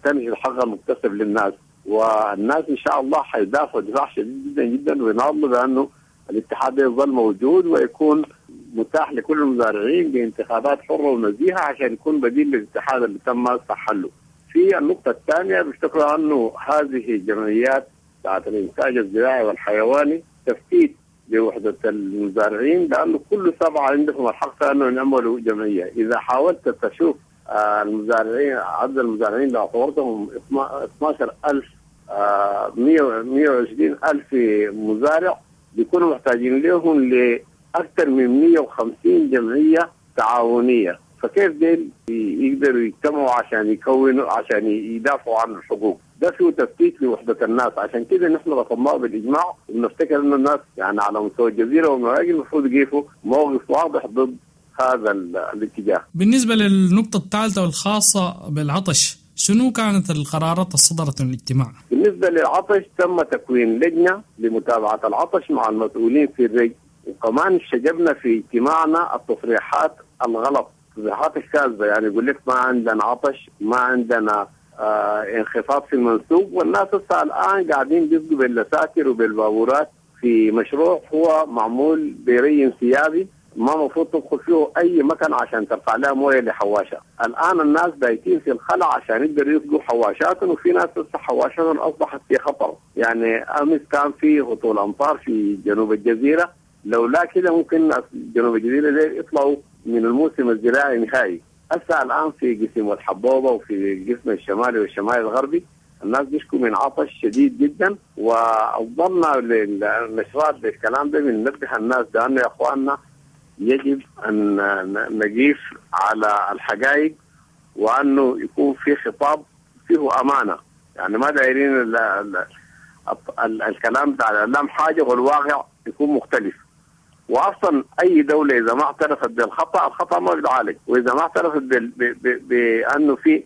تنهي الحق المكتسب للناس. والناس إن شاء الله حيدافعوا دفاع شديد جدا جدا ويناضلوا بأنه الاتحاد يظل موجود ويكون متاح لكل المزارعين بانتخابات حرة ونزيهة عشان يكون بديل للاتحاد اللي تم حله. في النقطة الثانية بيفتكروا أنه هذه الجمعيات بتاعت الإنتاج الزراعي والحيواني تفتيت لوحدة المزارعين، لأنه كل سبعة عندهم الحق أنه يعملوا جمعية. إذا حاولت تشوف المزارعين، عدد المزارعين اللي اعتبرتهم اثنا عشر ألف مئة وعشرين ألف مزارع، بيكونوا محتاجين لهم لأكثر من مئة وخمسين جمعية تعاونية. فكيف ديل يقدروا يجتمعوا عشان يكونوا عشان يدافعوا عن الحقوق؟ ده فيه تفتيت لوحدة الناس. عشان كده نحن رفضناه بالإجماع، وبنفتكر إنه الناس يعني على مستوى الجزيرة والمراجل المفروض يقفوا موقف واضح ضد هذا الاتجاه. بالنسبة للنقطة الثالثة والخاصة بالعطش، شنو كانت القرارات الصدرت من الاجتماع؟ بالنسبة للعطش تم تكوين لجنة لمتابعة العطش مع المسؤولين في الري، وكمان شجبنا في اجتماعنا التصريحات الغلط، التصريحات الكاذبة، يعني يقول لك ما عندنا عطش، ما عندنا آه انخفاض في المنسوب، والناس هسه الآن قاعدين بيسقوا باللساتر وبالبابورات في مشروع هو معمول بري انسيابي ما مفروض تدخل فيه أي مكان عشان ترفع لها مويه لحواشة. الآن الناس بايتين في الخلع عشان يقدروا يسقوا حواشاتهم، وفي ناس لسه حواشاتهم أصبحت في خطر. يعني أمس كان في هطول أمطار في جنوب الجزيرة، لولا كده ممكن جنوب الجزيرة دي يطلعوا من الموسم الزراعي نهائي. هسه الآن في قسم الحبوبة وفي القسم الشمالي والشمالي الغربي الناس بيشكوا من عطش شديد جدا، وأفضلنا للنشرات بالكلام ده بننبه الناس بأنه يا أخواننا يجب أن نقيف على الحقائق، وأنه يكون في خطاب فيه أمانة. يعني ما دايرين ال ال ال الكلام بتاع الإعلام حاجة والواقع يكون مختلف. وأصلا أي دولة إذا ما اعترفت بالخطأ الخطأ ما بيتعالج، وإذا ما اعترفت بأنه في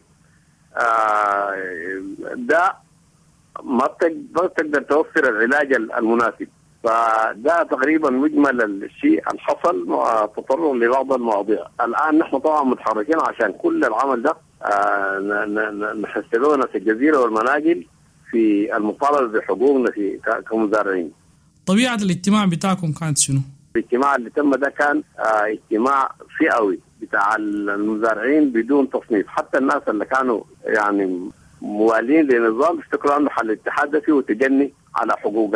آه ده ما بتقدر توفر العلاج المناسب. فده تقريبا مجمل الشيء اللي حصل مع تطرق لبعض المواضيع. الآن نحن طبعا متحركين عشان كل العمل ده آه نحسبونا في الجزيرة والمناجل في المطالبة بحقوقنا في كمزارعين. طبيعة الاجتماع بتاعكم كانت شنو؟ الاجتماع اللي تم ده كان آه اجتماع فئوي بتاع المزارعين بدون تصنيف، حتى الناس اللي كانوا يعني موالين للنظام افتكروا انه حل الاتحاد ده فيه تجني على حقوق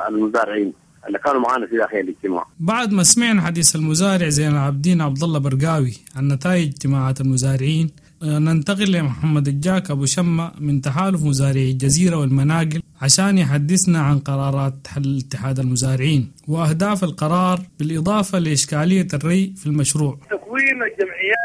المزارعين اللي كانوا معانا في داخل الاجتماع. بعد ما سمعنا حديث المزارع زين العابدين عبد الله برقاوي عن نتائج اجتماعات المزارعين، ننتقل لمحمد الجاك أبو شمة من تحالف مزارعي الجزيرة والمناقل عشان يحدثنا عن قرارات حل اتحاد المزارعين وأهداف القرار، بالإضافة لإشكالية الري في المشروع. تكوين الجمعيات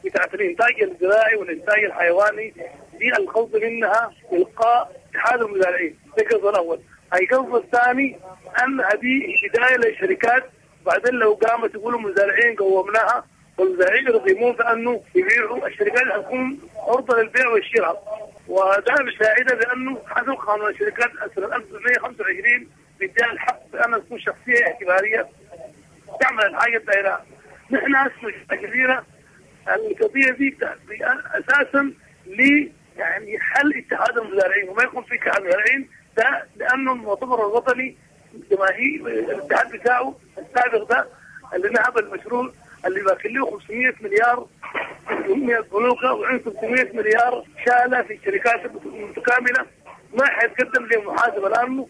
بتاعت الإنتاج الزراعي والإنتاج الحيواني دي الخوض منها إلقاء اتحاد المزارعين، ده القصد الأول. القصد الثاني أن هذه بداية للشركات، بعدين لو قامت يقولوا مزارعين قومناها والمزارعين يرغمون في أنه يبيعوا، الشركات حتكون عرضة للبيع والشراء. وده بيساعدها بانه حسب قانون الشركات سنة ألف وتسعمية وخمسة وعشرين بيديها الحق بان تكون شخصية اعتباريه تعمل الحاجة الدائرة. نحن هسه الجزيرة القضية دي اساسا ل يعني حل اتحاد المزارعين وما يكون في اتحاد المزارعين ده، لانه المؤتمر الوطني جماهير الاتحاد بتاعه السابق ده اللي نهب المشروع اللي باكل له خمسمية مليار من البنوك وعنده ثلاثمية مليار شالة في الشركات المتكاملة، ما حيتقدم لمحاسبه لانه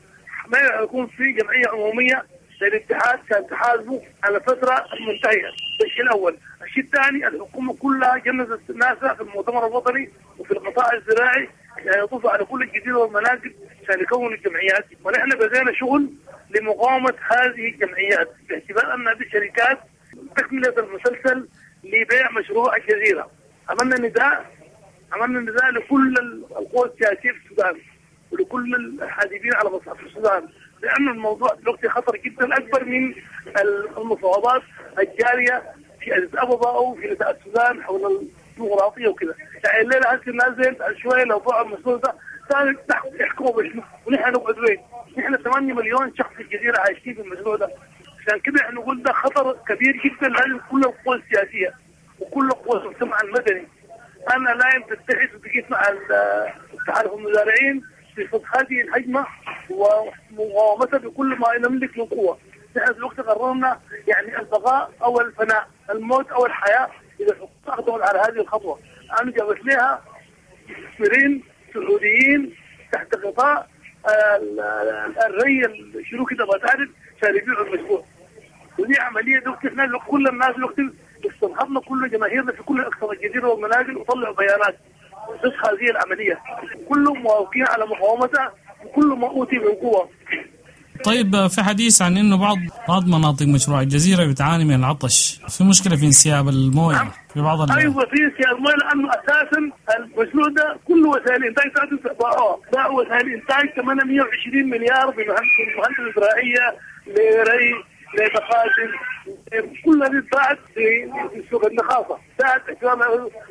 ما يكون في جمعية عموميه للاتحاد كان تحاسبه على الفترة المنتهية. ده الشيء الاول. الشيء الثاني الحكومة كلها جندت ناسها في المؤتمر الوطني وفي القطاع الزراعي يعني يطوفوا على كل الجزيرة والمناطق عشان يكونوا الجمعيات، ونحن بدينا شغل لمقاومة هذه الجمعيات باعتبار ان هذه الشركات تكمله المسلسل لبيع مشروع الجزيرة. عملنا نداء عملنا نداء لكل القوى السياسية في السودان ولكل الحادبين على مصلحة السودان، لأن الموضوع دلوقتي خطر جدا اكبر من المفاوضات الجارية في اديس ابابا او في نساء السودان حول الديمقراطية وكذا. يعني الليلة هسه الناس زي شوية لو باعوا المشروع ده ثاني يحكموا بشنو؟ ونحن نقعد وين؟ نحن ثمانية مليون شخص في الجزيرة عايشين في المشروع ده. عشان كده احنا نقول ده خطر كبير جدا، لازم كل القوى السياسية وكل قوى المجتمع المدني انا لا تتحد وتقيس مع تحالف المزارعين في صد هذه الهجمة ومقاومتها بكل ما نملك من قوة. نحن في الوقت قررنا يعني البقاء او الفناء، الموت او الحياة اذا الحكومة اقدمت على هذه الخطوة. انا جابت لها مستثمرين سعوديين تحت غطاء الري شنو كده بتعرف عشان يبيعوا المشروع. ودي عملية دلوقتي احنا كل الناس دلوقتي استنهضنا كل جماهيرنا في كل اقصى الجزيرة والمنازل وطلعوا بيانات ضد هذه العملية، كلهم موافقين على مقاومتها وكل ما اوتي من قوة. طيب في حديث عن انه بعض بعض مناطق مشروع الجزيرة بتعاني من العطش، في مشكلة في انسياب المويه في بعض ال... ايوه في انسياب المويه، لانه اساسا المشروع ده كله وسائل انتاج باعوها، باعوا وسائل انتاج ثمانمية وعشرين مليار بمهندس زراعية لري لمخازن، كل هذه اتباعت في سوق النخاصه، باعت.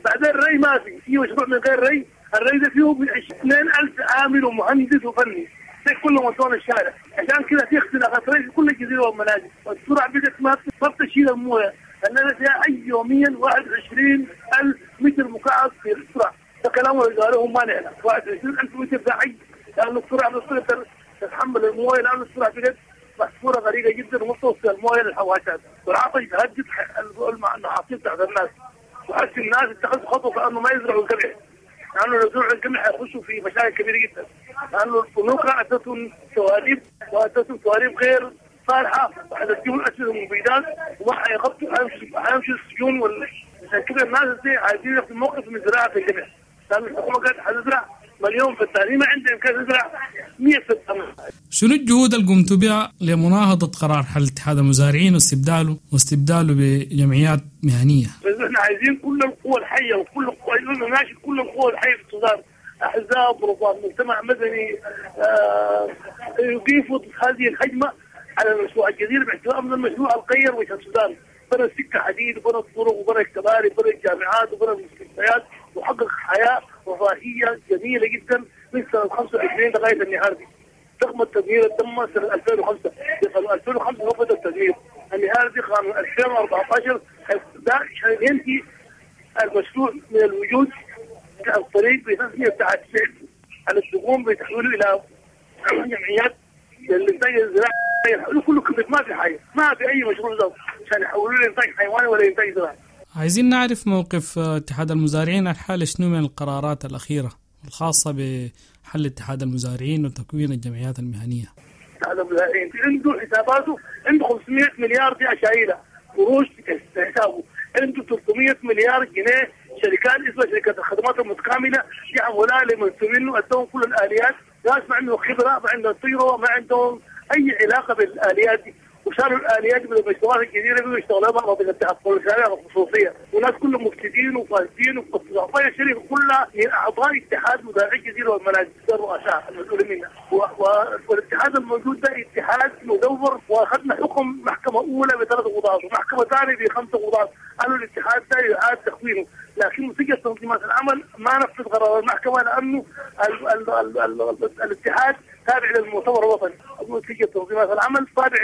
بعدين الري ما في، في مشروع من غير ري، الري ده فيه اثنين ألف عامل ومهندس وفني، ده كله مطلوب الشارع، عشان كده في اختلاقات ري في كل الجزيرة والمنازل، والسرعة بدات ما تشيل المويه، لان فيها اي يوميا واحد وعشرين ألف متر مكعب في السرعة، ده كلام اللي قالوه ما نعلم، واحد وعشرين ألف متر ده عي، لانه السرعة بتصير تتحمل المويه، لانه السرعة بدات محفورة غريقه جدا وما توصل المويه للحواشات، والعطش بيهدد المحاصيل بتاعت الناس، وحس الناس اتخذوا خطوة كانه ما يزرعوا القمح، لانه لو زرعوا القمح حيخشوا في مشاكل كبيرة جدا، لانه البنوك اتتهم سواليب واتتهم سواليب غير صالحه وحتديهم اسئلة ومبيدات وما حيغطوا حيمشوا السجون وال... عشان كده الناس دي عايزين ياخذوا موقف من زراعة القمح، لانه الحكومة قالت حتزرع مليون فدان، ما عندها امكانية تزرع مية فدان. شنو الجهود اللي قمتوا بها لمناهضة قرار حل اتحاد المزارعين واستبداله واستبداله بجمعيات مهنية؟ احنا عايزين كل القوى الحية وكل القوى ناشد كل القوى الحية في السودان، احزاب ورفاق مجتمع مدني آه يقيفوا ضد هذه الهجمة على المشروع الجزيرة باعتبار من المشروع الغير وجه السودان، بنى السكة حديد وبنى الطرق وبنى الكباري وبنى الجامعات وبنى المستشفيات وحقق حياة رفاهية جميلة جدا من سنة خمسة وعشرين لغاية النهار دي. رغم التدمير تم سنة ألفين وخمسة، ألفين وخمسة هو بدأ التدمير، النهار دي قانون ألفين وأربعة عشر ده عشان ينهي المشروع من الوجود عن طريق بتسمية بتاعت على التقوم بتحويله إلى جمعيات للإنتاج الزراعي، كله كذب، ما في حاجة، ما في أي مشروع ده عشان يحولوه لإنتاج حيواني ولا إنتاج زراعي. عايزين نعرف موقف اتحاد المزارعين الحالي شنو من القرارات الأخيرة الخاصة بحل اتحاد المزارعين وتكوين الجمعيات المهنية. اتحاد المزارعين عنده حساباته، عنده خمسمية مليار دي أشايلة قروش في حسابه، عنده ثلاثمية مليار جنيه شركات اسمها شركات الخدمات المتكاملة دي عملاء لمنسوبين ادوهم كل الآليات، ناس ما عندهم خبرة، ما عندهم تجربة، ما عندهم أي علاقة بالآليات دي، وشالوا الاليات من المشروعات الجديده بيقوا يشتغلوا بها مناطق التحصل الشارع الخصوصيه، وناس كلهم مفسدين وفاسدين وقطاع الشركه كلها من اعضاء اتحاد مزارعي الجزيره والمناجل الرؤساء المسؤولين منها، والاتحاد الموجود ده اتحاد مدور، واخذنا حكم محكمه اولى بثلاث قضاة ومحكمه ثانيه بخمسه قضاة، قالوا الاتحاد ده يعاد تكوينه، لكن مسجل تنظيمات العمل ما نفذ قرار المحكمه لانه ال ال ال ال ال الاتحاد تابع للمؤتمر الوطني، مسجل تنظيمات العمل تابع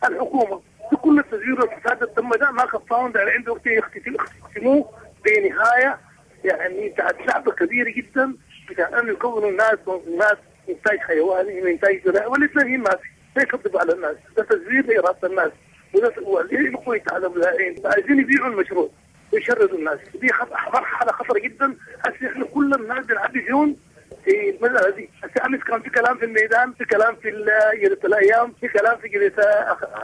للحكومه. كل التزوير والفساد اللي تم ده ما كفاهم، ده عنده وقت يختموه بنهايه يعني بتاعت شعب كبير جدا بتاع انه يكونوا الناس تنظيمات انتاج حيواني وانتاج زراعي، والاثنين ما في، ده يكذب على الناس، ده تزوير لإرادة الناس، وده يقوي على المزارعين، عايزين يبيعوا المشروع ويشردوا الناس، دي مرحلة خطرة جدا. هسه احنا كل الناس بنعبي ديون في المسألة دي. هسه أمس كان في كلام في الميدان، في كلام في جريدة الأيام، في كلام في جريدة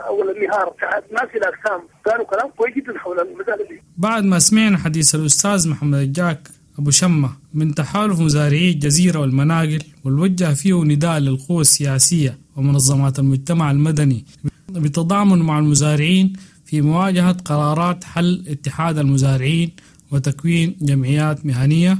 أول النهار، ناس في الأقسام كانوا كلام كويس جدا حول المسألة دي. بعد ما سمعنا حديث الأستاذ محمد الجاك أبو شمة من تحالف مزارعي الجزيرة والمناقل، والوجه فيه نداء للقوى السياسية ومنظمات المجتمع المدني بالتضامن مع المزارعين في مواجهة قرارات حل اتحاد المزارعين وتكوين جمعيات مهنية،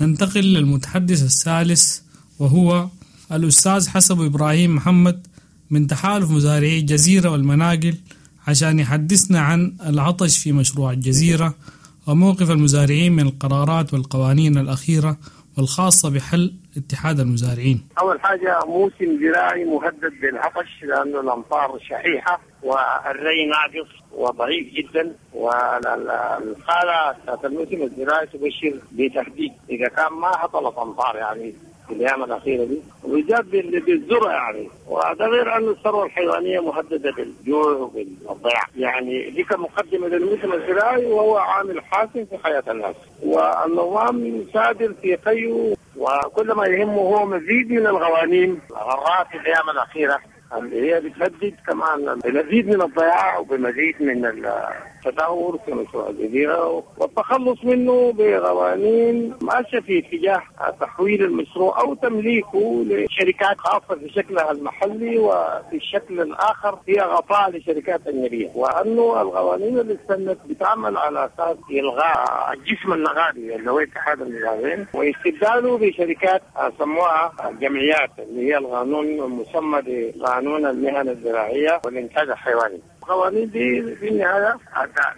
ننتقل للمتحدث الثالث وهو الأستاذ حسب إبراهيم محمد من تحالف مزارعي الجزيرة والمناقل عشان يحدثنا عن العطش في مشروع الجزيرة وموقف المزارعين من القرارات والقوانين الأخيرة والخاصة بحل اتحاد المزارعين. أول حاجة موسم زراعي مهدد بالعطش لأنه الأمطار شحيحة والري ناقص وضعيف جدا، والحالة بتاعت الموسم الزراعي تبشر بتهديد إذا كان ما هطلت أمطار يعني في الأيام الأخيرة دي، وبالذات بالذرة يعني. وهذا غير أن الثروة الحيوانية مهددة بالجوع وبالضياع، يعني دي كمقدمة للموسم الزراعي وهو عامل حاسم في حياة الناس. والنظام سادر في قيه، وكل ما يهمه هو مزيد من القوانين الغراء في الأيام الأخيرة اللي هي بتهدد كمان بمزيد من الضياع وبمزيد من التدهور في مشروع الجزيرة والتخلص منه بقوانين ماشية في اتجاه تحويل المشروع أو تمليكه لشركات خاصة في شكلها المحلي، وفي الشكل الآخر هي غطاء لشركات أجنبية. وأنه القوانين اللي استنت بتعمل على أساس إلغاء الجسم النغابي اللي هو اتحاد المزارعين واستبداله بشركات سموها الجمعيات اللي هي القانون المسمى بقانون المهن الزراعية والإنتاج الحيواني. القوانين دي في النهاية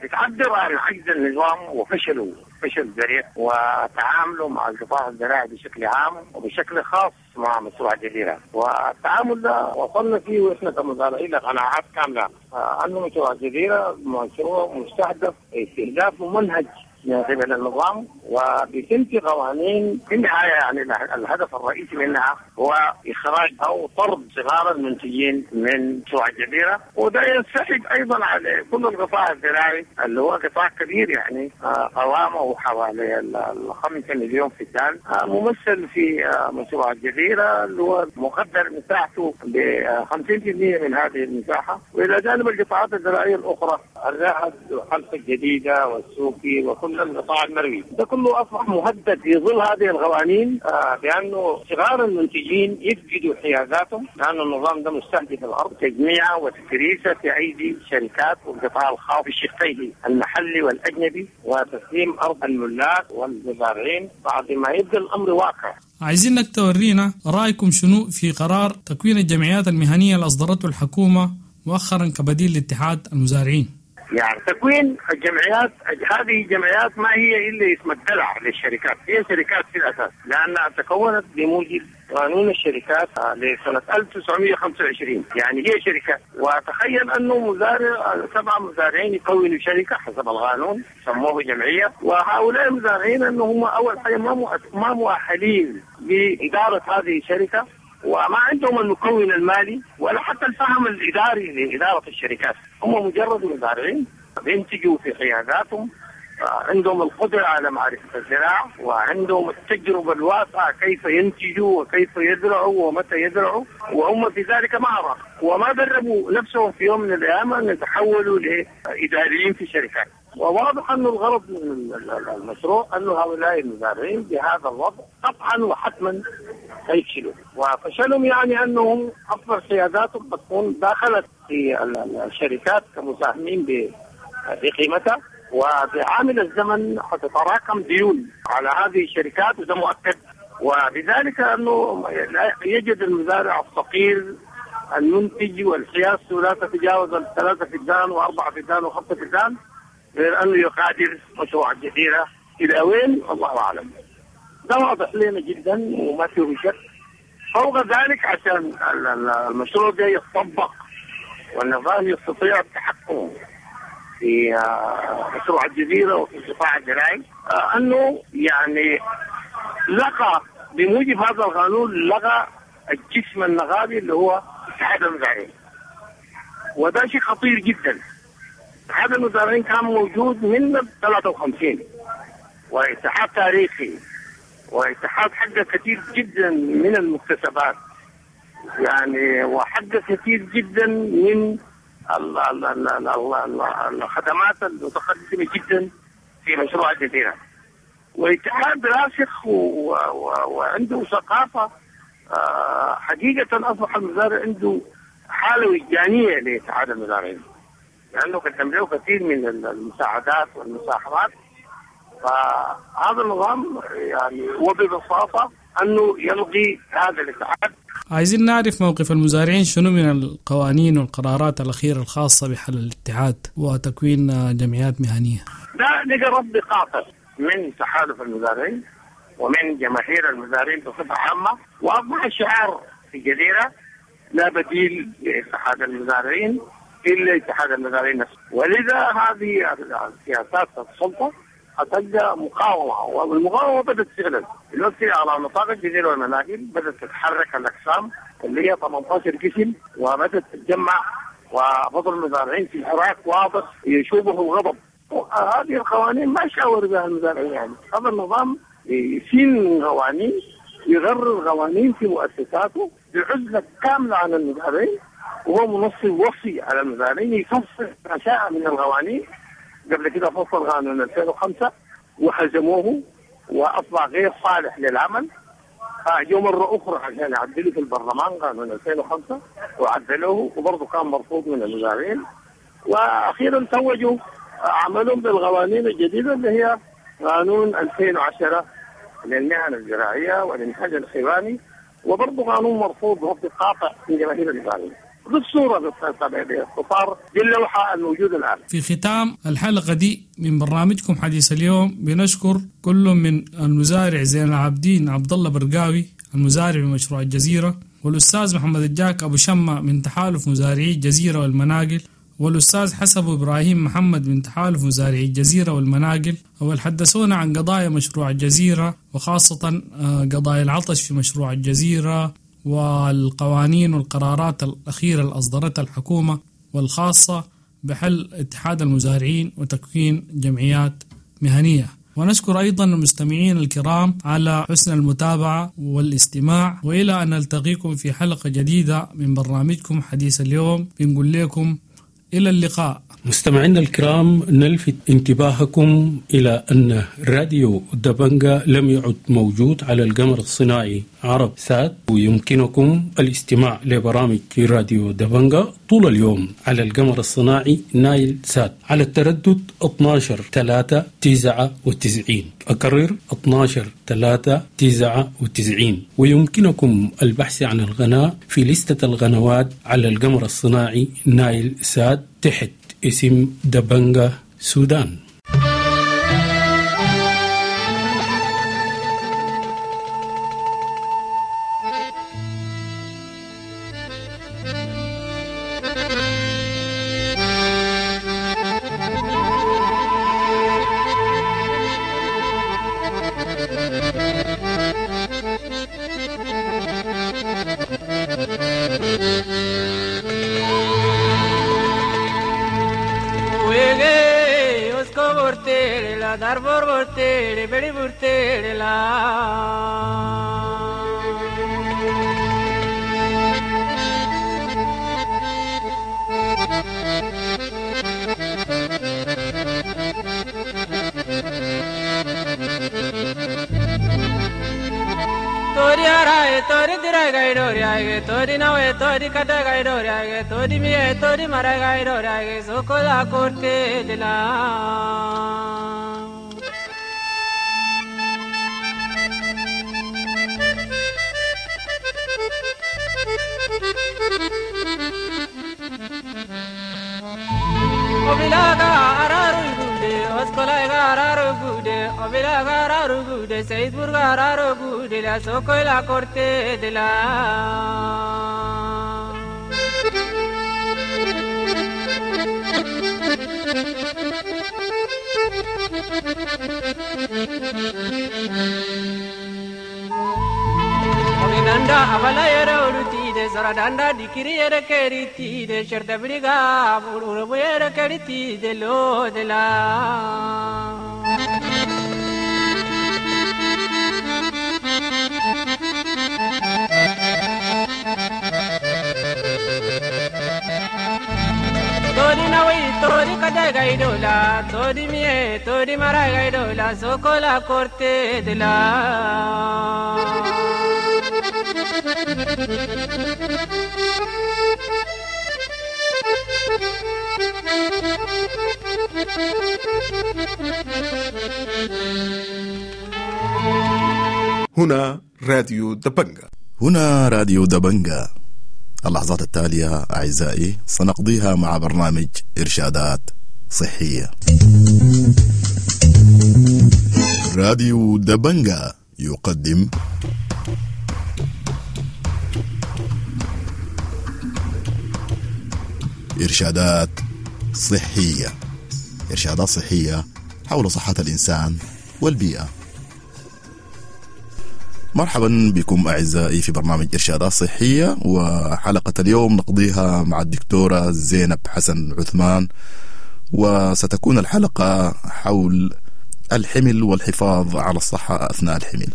بتعبر عن عجز النظام وفشله فشل ذريع وتعامله مع القطاع الزراعي بشكل عام وبشكل خاص مع مشروع الجزيرة. والتعامل ده وصلنا فيه واحنا كمزارعين لقناعات كاملة أنه مشروع الجزيرة مشروع مستهدف استهداف ممنهج من قبل النظام، وبتنتي قوانين في النهاية يعني الهدف الرئيسي منها هو إخراج أو طرد صغار المنتجين من مشروع الجزيرة. وده ينسحب أيضا على كل القطاع الزراعي اللي هو قطاع كبير يعني قوامه حوالي الخمسة مليون فدان ممثل في مشروع الجزيرة اللي هو مقدر مساحته ب خمسين بالمئة من هذه المساحة. وإلى جانب القطاعات الزراعية الأخرى الرهد وحلفة الجديدة والسوقي وكل القطاع المروي، ده كله أصبح مهدد في ظل هذه القوانين بأنه صغار المنتجين يفقدوا حيازاتهم لأن النظام ده مستهدف الأرض تجميعها وتكريسها في أيدي شركات والقطاع الخاص بشقيه المحلي والأجنبي وتسليم أرض الملاك والمزارعين بعد ما يبقى الأمر واقع. عايزينك تورينا رأيكم شنو في قرار تكوين الجمعيات المهنية اللي أصدرته الحكومة مؤخرا كبديل لاتحاد المزارعين. يعني تكوين الجمعيات، هذه الجمعيات ما هي إلا اسم الدلع للشركات، هي شركات في الأساس لأنها تكونت بموجب قانون الشركات لسنة ألف وتسعمئة وخمسة وعشرين، يعني هي شركات. وتخيل أنه مزارع سبع مزارعين يكونوا شركة حسب القانون سموه جمعية، وهؤلاء المزارعين أنهم هم أول حاجة ما ما مؤهلين لإدارة هذه الشركة، وما عندهم المكون المالي ولا حتى الفهم الإداري لإدارة الشركات. هم مجرد مزارعين بينتجوا في حيازاتهم، عندهم القدرة على معرفة الزراعة وعندهم التجربة الواسعة كيف ينتجوا وكيف يزرعوا ومتى يزرعوا، وهم في ذلك مهرة، وما دربوا نفسهم في يوم من الأيام أن يتحولوا لإداريين في شركات. وواضح أن الغرض من المشروع أن هؤلاء المزارعين بهذا الوضع قطعا وحتما حيفشلوا. وفشلهم يعني أنهم أصلا سياداتهم بتكون دخلت في الشركات كمساهمين بقيمتها، وبعامل الزمن حتتراكم ديون على هذه الشركات، وده مؤكد. وبذلك أنه يجد المزارع الصغير المنتج والحيازته لا تتجاوز الثلاثة فدان وأربعة فدان وخمسة فدان، غير أنه يقادر مشروع الجزيرة إلى وين الله أعلم. ده واضح لنا جدا وما فيه شك. فوق ذلك عشان المشروع ده يتطبق والنظام يستطيع التحكم في مشروع الجزيرة وفي القطاع الزراعي، أنه يعني لقى بموجب هذا القانون لغى الجسم النغابي اللي هو اتحاد المزارعين، وده شيء خطير جدا. اتحاد المزارعين كان موجود من ثلاثة وخمسين، واتحاد تاريخي، واتحاد حقق كثير جدا من المكتسبات يعني، وحقق كثير جدا من ال ال ال ال ال الخدمات المتقدمة جدا في مشروع الجزيرة. واتحاد راسخ وعنده ثقافة حقيقة. أصبح المزارع عنده حالة وجدانية لاتحاد المزارعين، لأنه قدم له كثير من المساعدات والمساهمات. فهذا النظام يعني وببساطة أنه يلغي هذا الاتحاد. عايزين نعرف موقف المزارعين شنو من القوانين والقرارات الأخيرة الخاصة بحل الاتحاد وتكوين جمعيات مهنية. ده لقى رد قاطع من تحالف المزارعين ومن جماهير المزارعين بصفة عامة، وأصبح الشعار في الجزيرة لا بديل لاتحاد المزارعين إلا اتحاد المزارعين نفسه. ولذا هذه السياسات السلطة هتلقى مقاومة، والمقاومة بدأت فعلا دلوقتي على نطاق الجزيرة والمناقل. بدأت تتحرك الأقسام اللي هي ثمانية عشر قسم، وبدأت تتجمع، وبطل المزارعين في حراك واضح يشوبه الغضب. هذه القوانين ما شاور بها المزارعين، يعني هذا النظام يسين قوانين، يغرر قوانين في مؤسساته بعزلة كاملة عن المزارعين، وهو منصب وصي على المزارعين يفصل ما شاء من القوانين. قبل كده فصل قانون ألفين وخمسة وهزموه وأصبح غير صالح للعمل. فجوا مرة أخرى عشان يعدلوا في البرلمان قانون ألفين وخمسة وعدلوه، وبرضه كان مرفوض من المزارعين. وأخيرا توجوا عملهم بالقوانين الجديدة اللي هي قانون ألفين وعشرة للمهن الزراعية والإنتاج الحيواني، وبرضه قانون مرفوض رفض قاطع من جماهير المزارعين. بالصورة باختصار دي اللوحة الموجودة الآن. في ختام الحلقة دي من برنامجكم حديث اليوم بنشكر كل من المزارع زين العابدين عبد الله برقاوي المزارع بمشروع الجزيرة، والأستاذ محمد الجاك أبو شمة من تحالف مزارعي الجزيرة والمناقل، والأستاذ حسب إبراهيم محمد من تحالف مزارعي الجزيرة والمناقل، والحدثونا عن قضايا مشروع الجزيرة وخاصة قضايا العطش في مشروع الجزيرة والقوانين والقرارات الأخيرة اللي أصدرتها الحكومة والخاصة بحل اتحاد المزارعين وتكوين جمعيات مهنية. ونشكر أيضا المستمعين الكرام على حسن المتابعة والاستماع، وإلى أن نلتقيكم في حلقة جديدة من برنامجكم حديث اليوم بنقول لكم إلى اللقاء. مستمعينا الكرام، نلفت انتباهكم إلى أن راديو دبنجا لم يعد موجود على القمر الصناعي عرب سات، ويمكنكم الاستماع لبرامج راديو دبنجا طول اليوم على القمر الصناعي نايل سات على التردد اثنا عشر ثلاثة تسعة وتسعين. أكرر اثنا عشر ثلاثة تسعة وتسعين. ويمكنكم البحث عن القناة في لستة القنوات على القمر الصناعي نايل سات تحت اسم دبنجا سودان. Thank you. Tori arai tori dirai gai dori ai tori nawe tori kada gai dori ai tori miye tori marai gai dori ai sokola korte dila. Obilaga araru gude oskolaga araru gude obilaga araru gude Saidpurga araru gude la sokola korte dila. Danda abala yere ulutide sora danda dikiri yere keritide sherda briga uru yere keritide lo de la. Tori nawi tori kada gai dola tori miye tori marai gai dola sokola korte de la. هنا راديو دبنجا. هنا راديو دبنجا. اللحظات التالية أعزائي سنقضيها مع برنامج إرشادات صحية. راديو دبنجا يقدم إرشادات صحية. إرشادات صحية حول صحة الإنسان والبيئة. مرحبا بكم أعزائي في برنامج إرشادات صحية، وحلقة اليوم نقضيها مع الدكتورة زينب حسن عثمان، وستكون الحلقة حول الحمل والحفاظ على الصحة أثناء الحمل.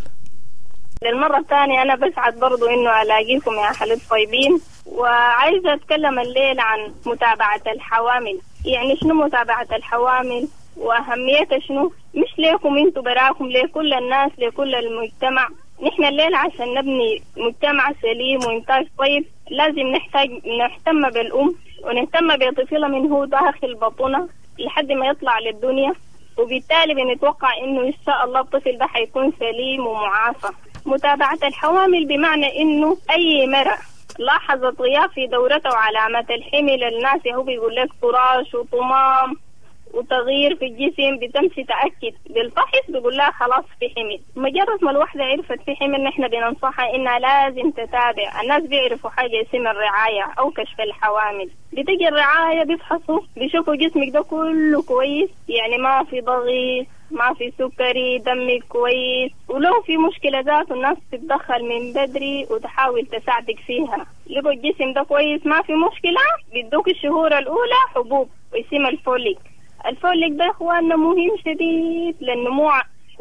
للمرة الثانية أنا بسعد برضو إنه ألاقيكم يا أهل الطيبين، وعايزة أتكلم الليل عن متابعة الحوامل. يعني شنو متابعة الحوامل وأهميتها شنو؟ مش ليكم انتوا براكم، لكل الناس، لكل المجتمع. نحن الليل عشان نبني مجتمع سليم وإنتاج طيب لازم نحتاج نهتم بالأم ونهتم بطفلها من هو داخل بطنها لحد ما يطلع للدنيا، وبالتالي بنتوقع إنه إن شاء الله الطفل ده حيكون سليم ومعافى. متابعة الحوامل بمعنى إنه أي مرأة لاحظت غياب في دورته وعلامات الحمل، الناس هو بيقول لك طراش وطمام وتغيير في الجسم، بتمشي تأكد بالفحص بيقول لها خلاص في حمل. مجرد ما الوحدة عرفت في حمل نحن بننصحها إنها لازم تتابع. الناس بيعرفوا حاجة اسمها الرعاية أو كشف الحوامل. بتجي الرعاية بيفحصوا بيشوفوا جسمك ده كله كويس، يعني ما في ضغط، ما في سكري، دمك كويس، ولو في مشكلة ذاته الناس تتدخل من بدري وتحاول تساعدك فيها. لقوا الجسم ده كويس ما في مشكلة، بيدوك الشهور الأولى حبوب واسمها الفوليك. الفوليك ده اخواننا مهم شديد للنمو،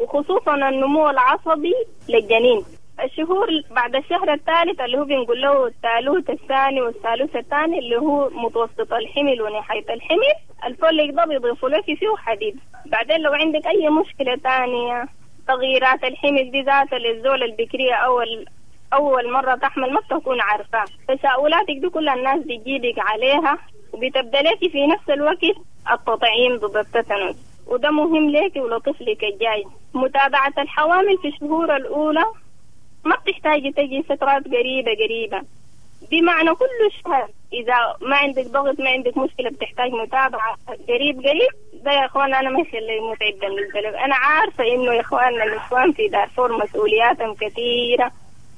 وخصوصا النمو العصبي للجنين. الشهور بعد الشهر الثالث اللي هو بنقول له الثالوث الثاني والثالوث الثاني اللي هو متوسط الحمل ونهاية الحمل، الفوليك ده بيضيفوا لك فيه حديد. بعدين لو عندك أي مشكلة تانية، تغييرات الحمل دي ذاتها للزول البكرية أول أول مرة تحمل ما بتكون عارفة، تساؤلاتك دي كل الناس بتجيبك عليها، وبتبدأ لك في نفس الوقت التطعيم ضد التتنس، وده مهم لك ولطفلك الجاي. متابعة الحوامل في الشهور الأولى ما بتحتاجي تجي فترات قريبة قريبة، بمعنى كل شهر إذا ما عندك ضغط ما عندك مشكلة بتحتاج متابعة قريب قريب. ده يا إخوان أنا ما يخلي متعب بالنسبة لي. أنا عارفة إنه يا إخواننا الإخوان في دارفور مسؤولياتهم كثيرة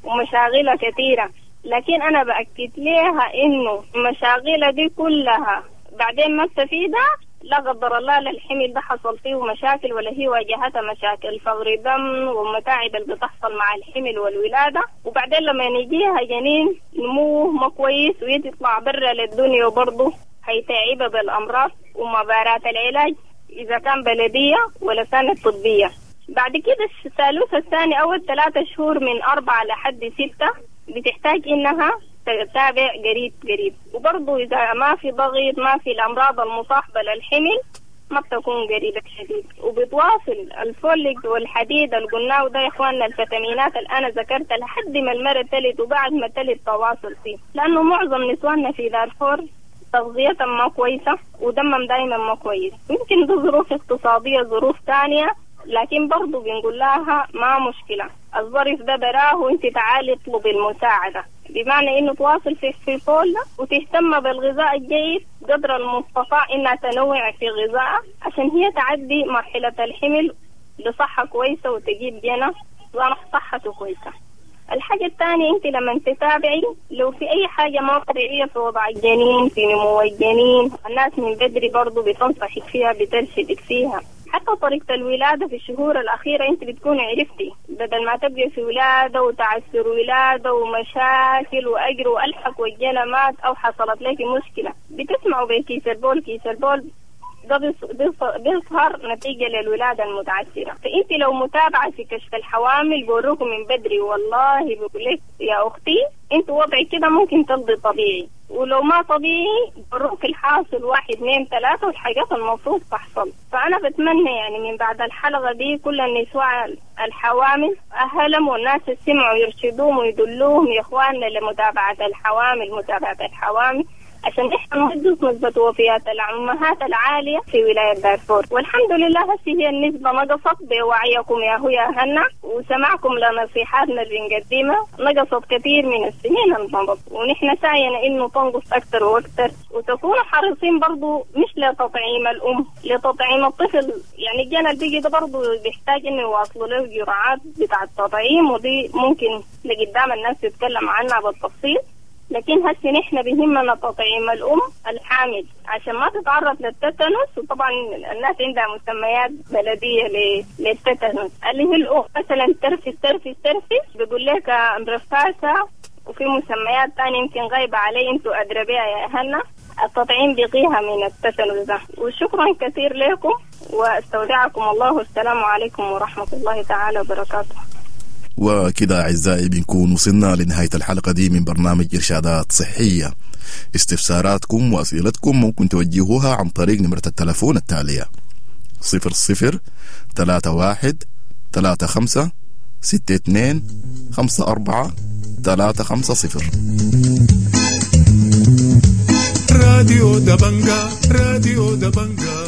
ومشاغلها كثيرة، لكن أنا بأكد لها إنه مشاغلها دي كلها بعدين ما استفيدها، لا قدر الله للحمل ده حصل فيه مشاكل ولا هي واجهتها مشاكل فقر دم ومتاعب اللي بتحصل مع الحمل والولادة. وبعدين لما يجيها جنين نموه ما كويس ويطلع برا للدنيا وبرضه هيتعبها بالأمراض ومبارات العلاج إذا كان بلدية ولا كانت طبية. بعد كده الثالوث الثاني أول ثلاثة شهور من أربعة لحد ستة بتحتاج إنها تتابع قريب قريب. وبرضه إذا ما في ضغط ما في الأمراض المصاحبة للحمل ما بتكون قريبة شديد، وبتواصل الفوليك والحديد اللي قلناه ده يا اخواننا، الفيتامينات اللي انا ذكرتها لحد ما المرة تلد، وبعد ما تلد تواصل فيه، لانه معظم نسواننا في دارفور تغذيتهم ما كويسة ودمهم دايما ما كويس، يمكن دي ظروف اقتصادية ظروف تانية، لكن برضو بنقول لها ما مشكلة، الظرف ده براه وانت تعالي اطلبي المساعدة، بمعنى انه تواصل في في فول وتهتم بالغذاء الجيد قدر المستطاع، انها تنوع في غذائها عشان هي تعدي مرحلة الحمل بصحة كويسة وتجيب جنى صحته كويسة. الحاجة الثانية انت لما تتابعي لو في اي حاجة ما طبيعية في وضع الجنين، في نمو الجنين، الناس من بدري برضو بتنصحك فيها بترشدك فيها. حتى طريقة الولادة في الشهور الأخيرة أنت بتكوني عرفتي، بدل ما تبقي في ولادة وتعسر ولادة ومشاكل وأجر وألحق والجنى مات أو حصلت لك مشكلة، بتسمعوا بكيس البول، كيس البول ده بيظهر نتيجة للولادة المتعسرة. فأنت لو متابعة في كشف الحوامل بوروكم من بدري، والله بقول لك يا أختي أنت وضعك كده ممكن تلضي طبيعي، ولو ما طبيعي بروك الحاصل واحد اثنين ثلاثة والحاجات المفروض تحصل. فأنا بتمنى يعني من بعد الحلقة دي كل النساء الحوامل أهلهم والناس اللي سمعوا يرشدوهم ويدلوهم يا إخواننا لمتابعة الحوامل، متابعة الحوامل عشان احنا ننقص نسبة وفيات الأمهات العالية في ولاية دارفور. والحمد لله هسه هي النسبة نقصت بوعيكم يا هو يا هنا وسمعكم لنصيحاتنا اللي بنقدمها، نقصت كثير من السنين المضت، ونحن سعينا انه تنقص اكثر واكثر. وتكونوا حريصين برضو مش لتطعيم الام، لتطعيم الطفل، يعني الجنى اللي بيجي ده برضو بيحتاج انه يواصلوا له جرعات بتاع التطعيم، ودي ممكن لقدام الناس تتكلم عنها بالتفصيل. لكن هسه نحن بيهمنا تطعيم الأم الحامل عشان ما تتعرض للتتنس، وطبعا الناس عندها مسميات بلدية للتتنس اللي هي الأم مثلا ترفس ترفس ترفس بيقول لك رفاسة، وفي مسميات تانية يمكن غايبة علي انتوا أدرى بيها يا أهلنا. التطعيم بيقيها من التتنس ده. وشكرا كثير لكم واستودعكم الله، والسلام عليكم ورحمة الله تعالى وبركاته. وكده أعزائي بنكون وصلنا لنهاية الحلقة دي من برنامج إرشادات صحية. استفساراتكم وأسئلتكم ممكن توجهوها عن طريق نمرة التلفون التالية صفر صفر ثلاثة واحد ثلاثة خمسة ستة اثنين خمسة أربعة ثلاثة خمسة صفر. راديو دبنجا، راديو دبنجا.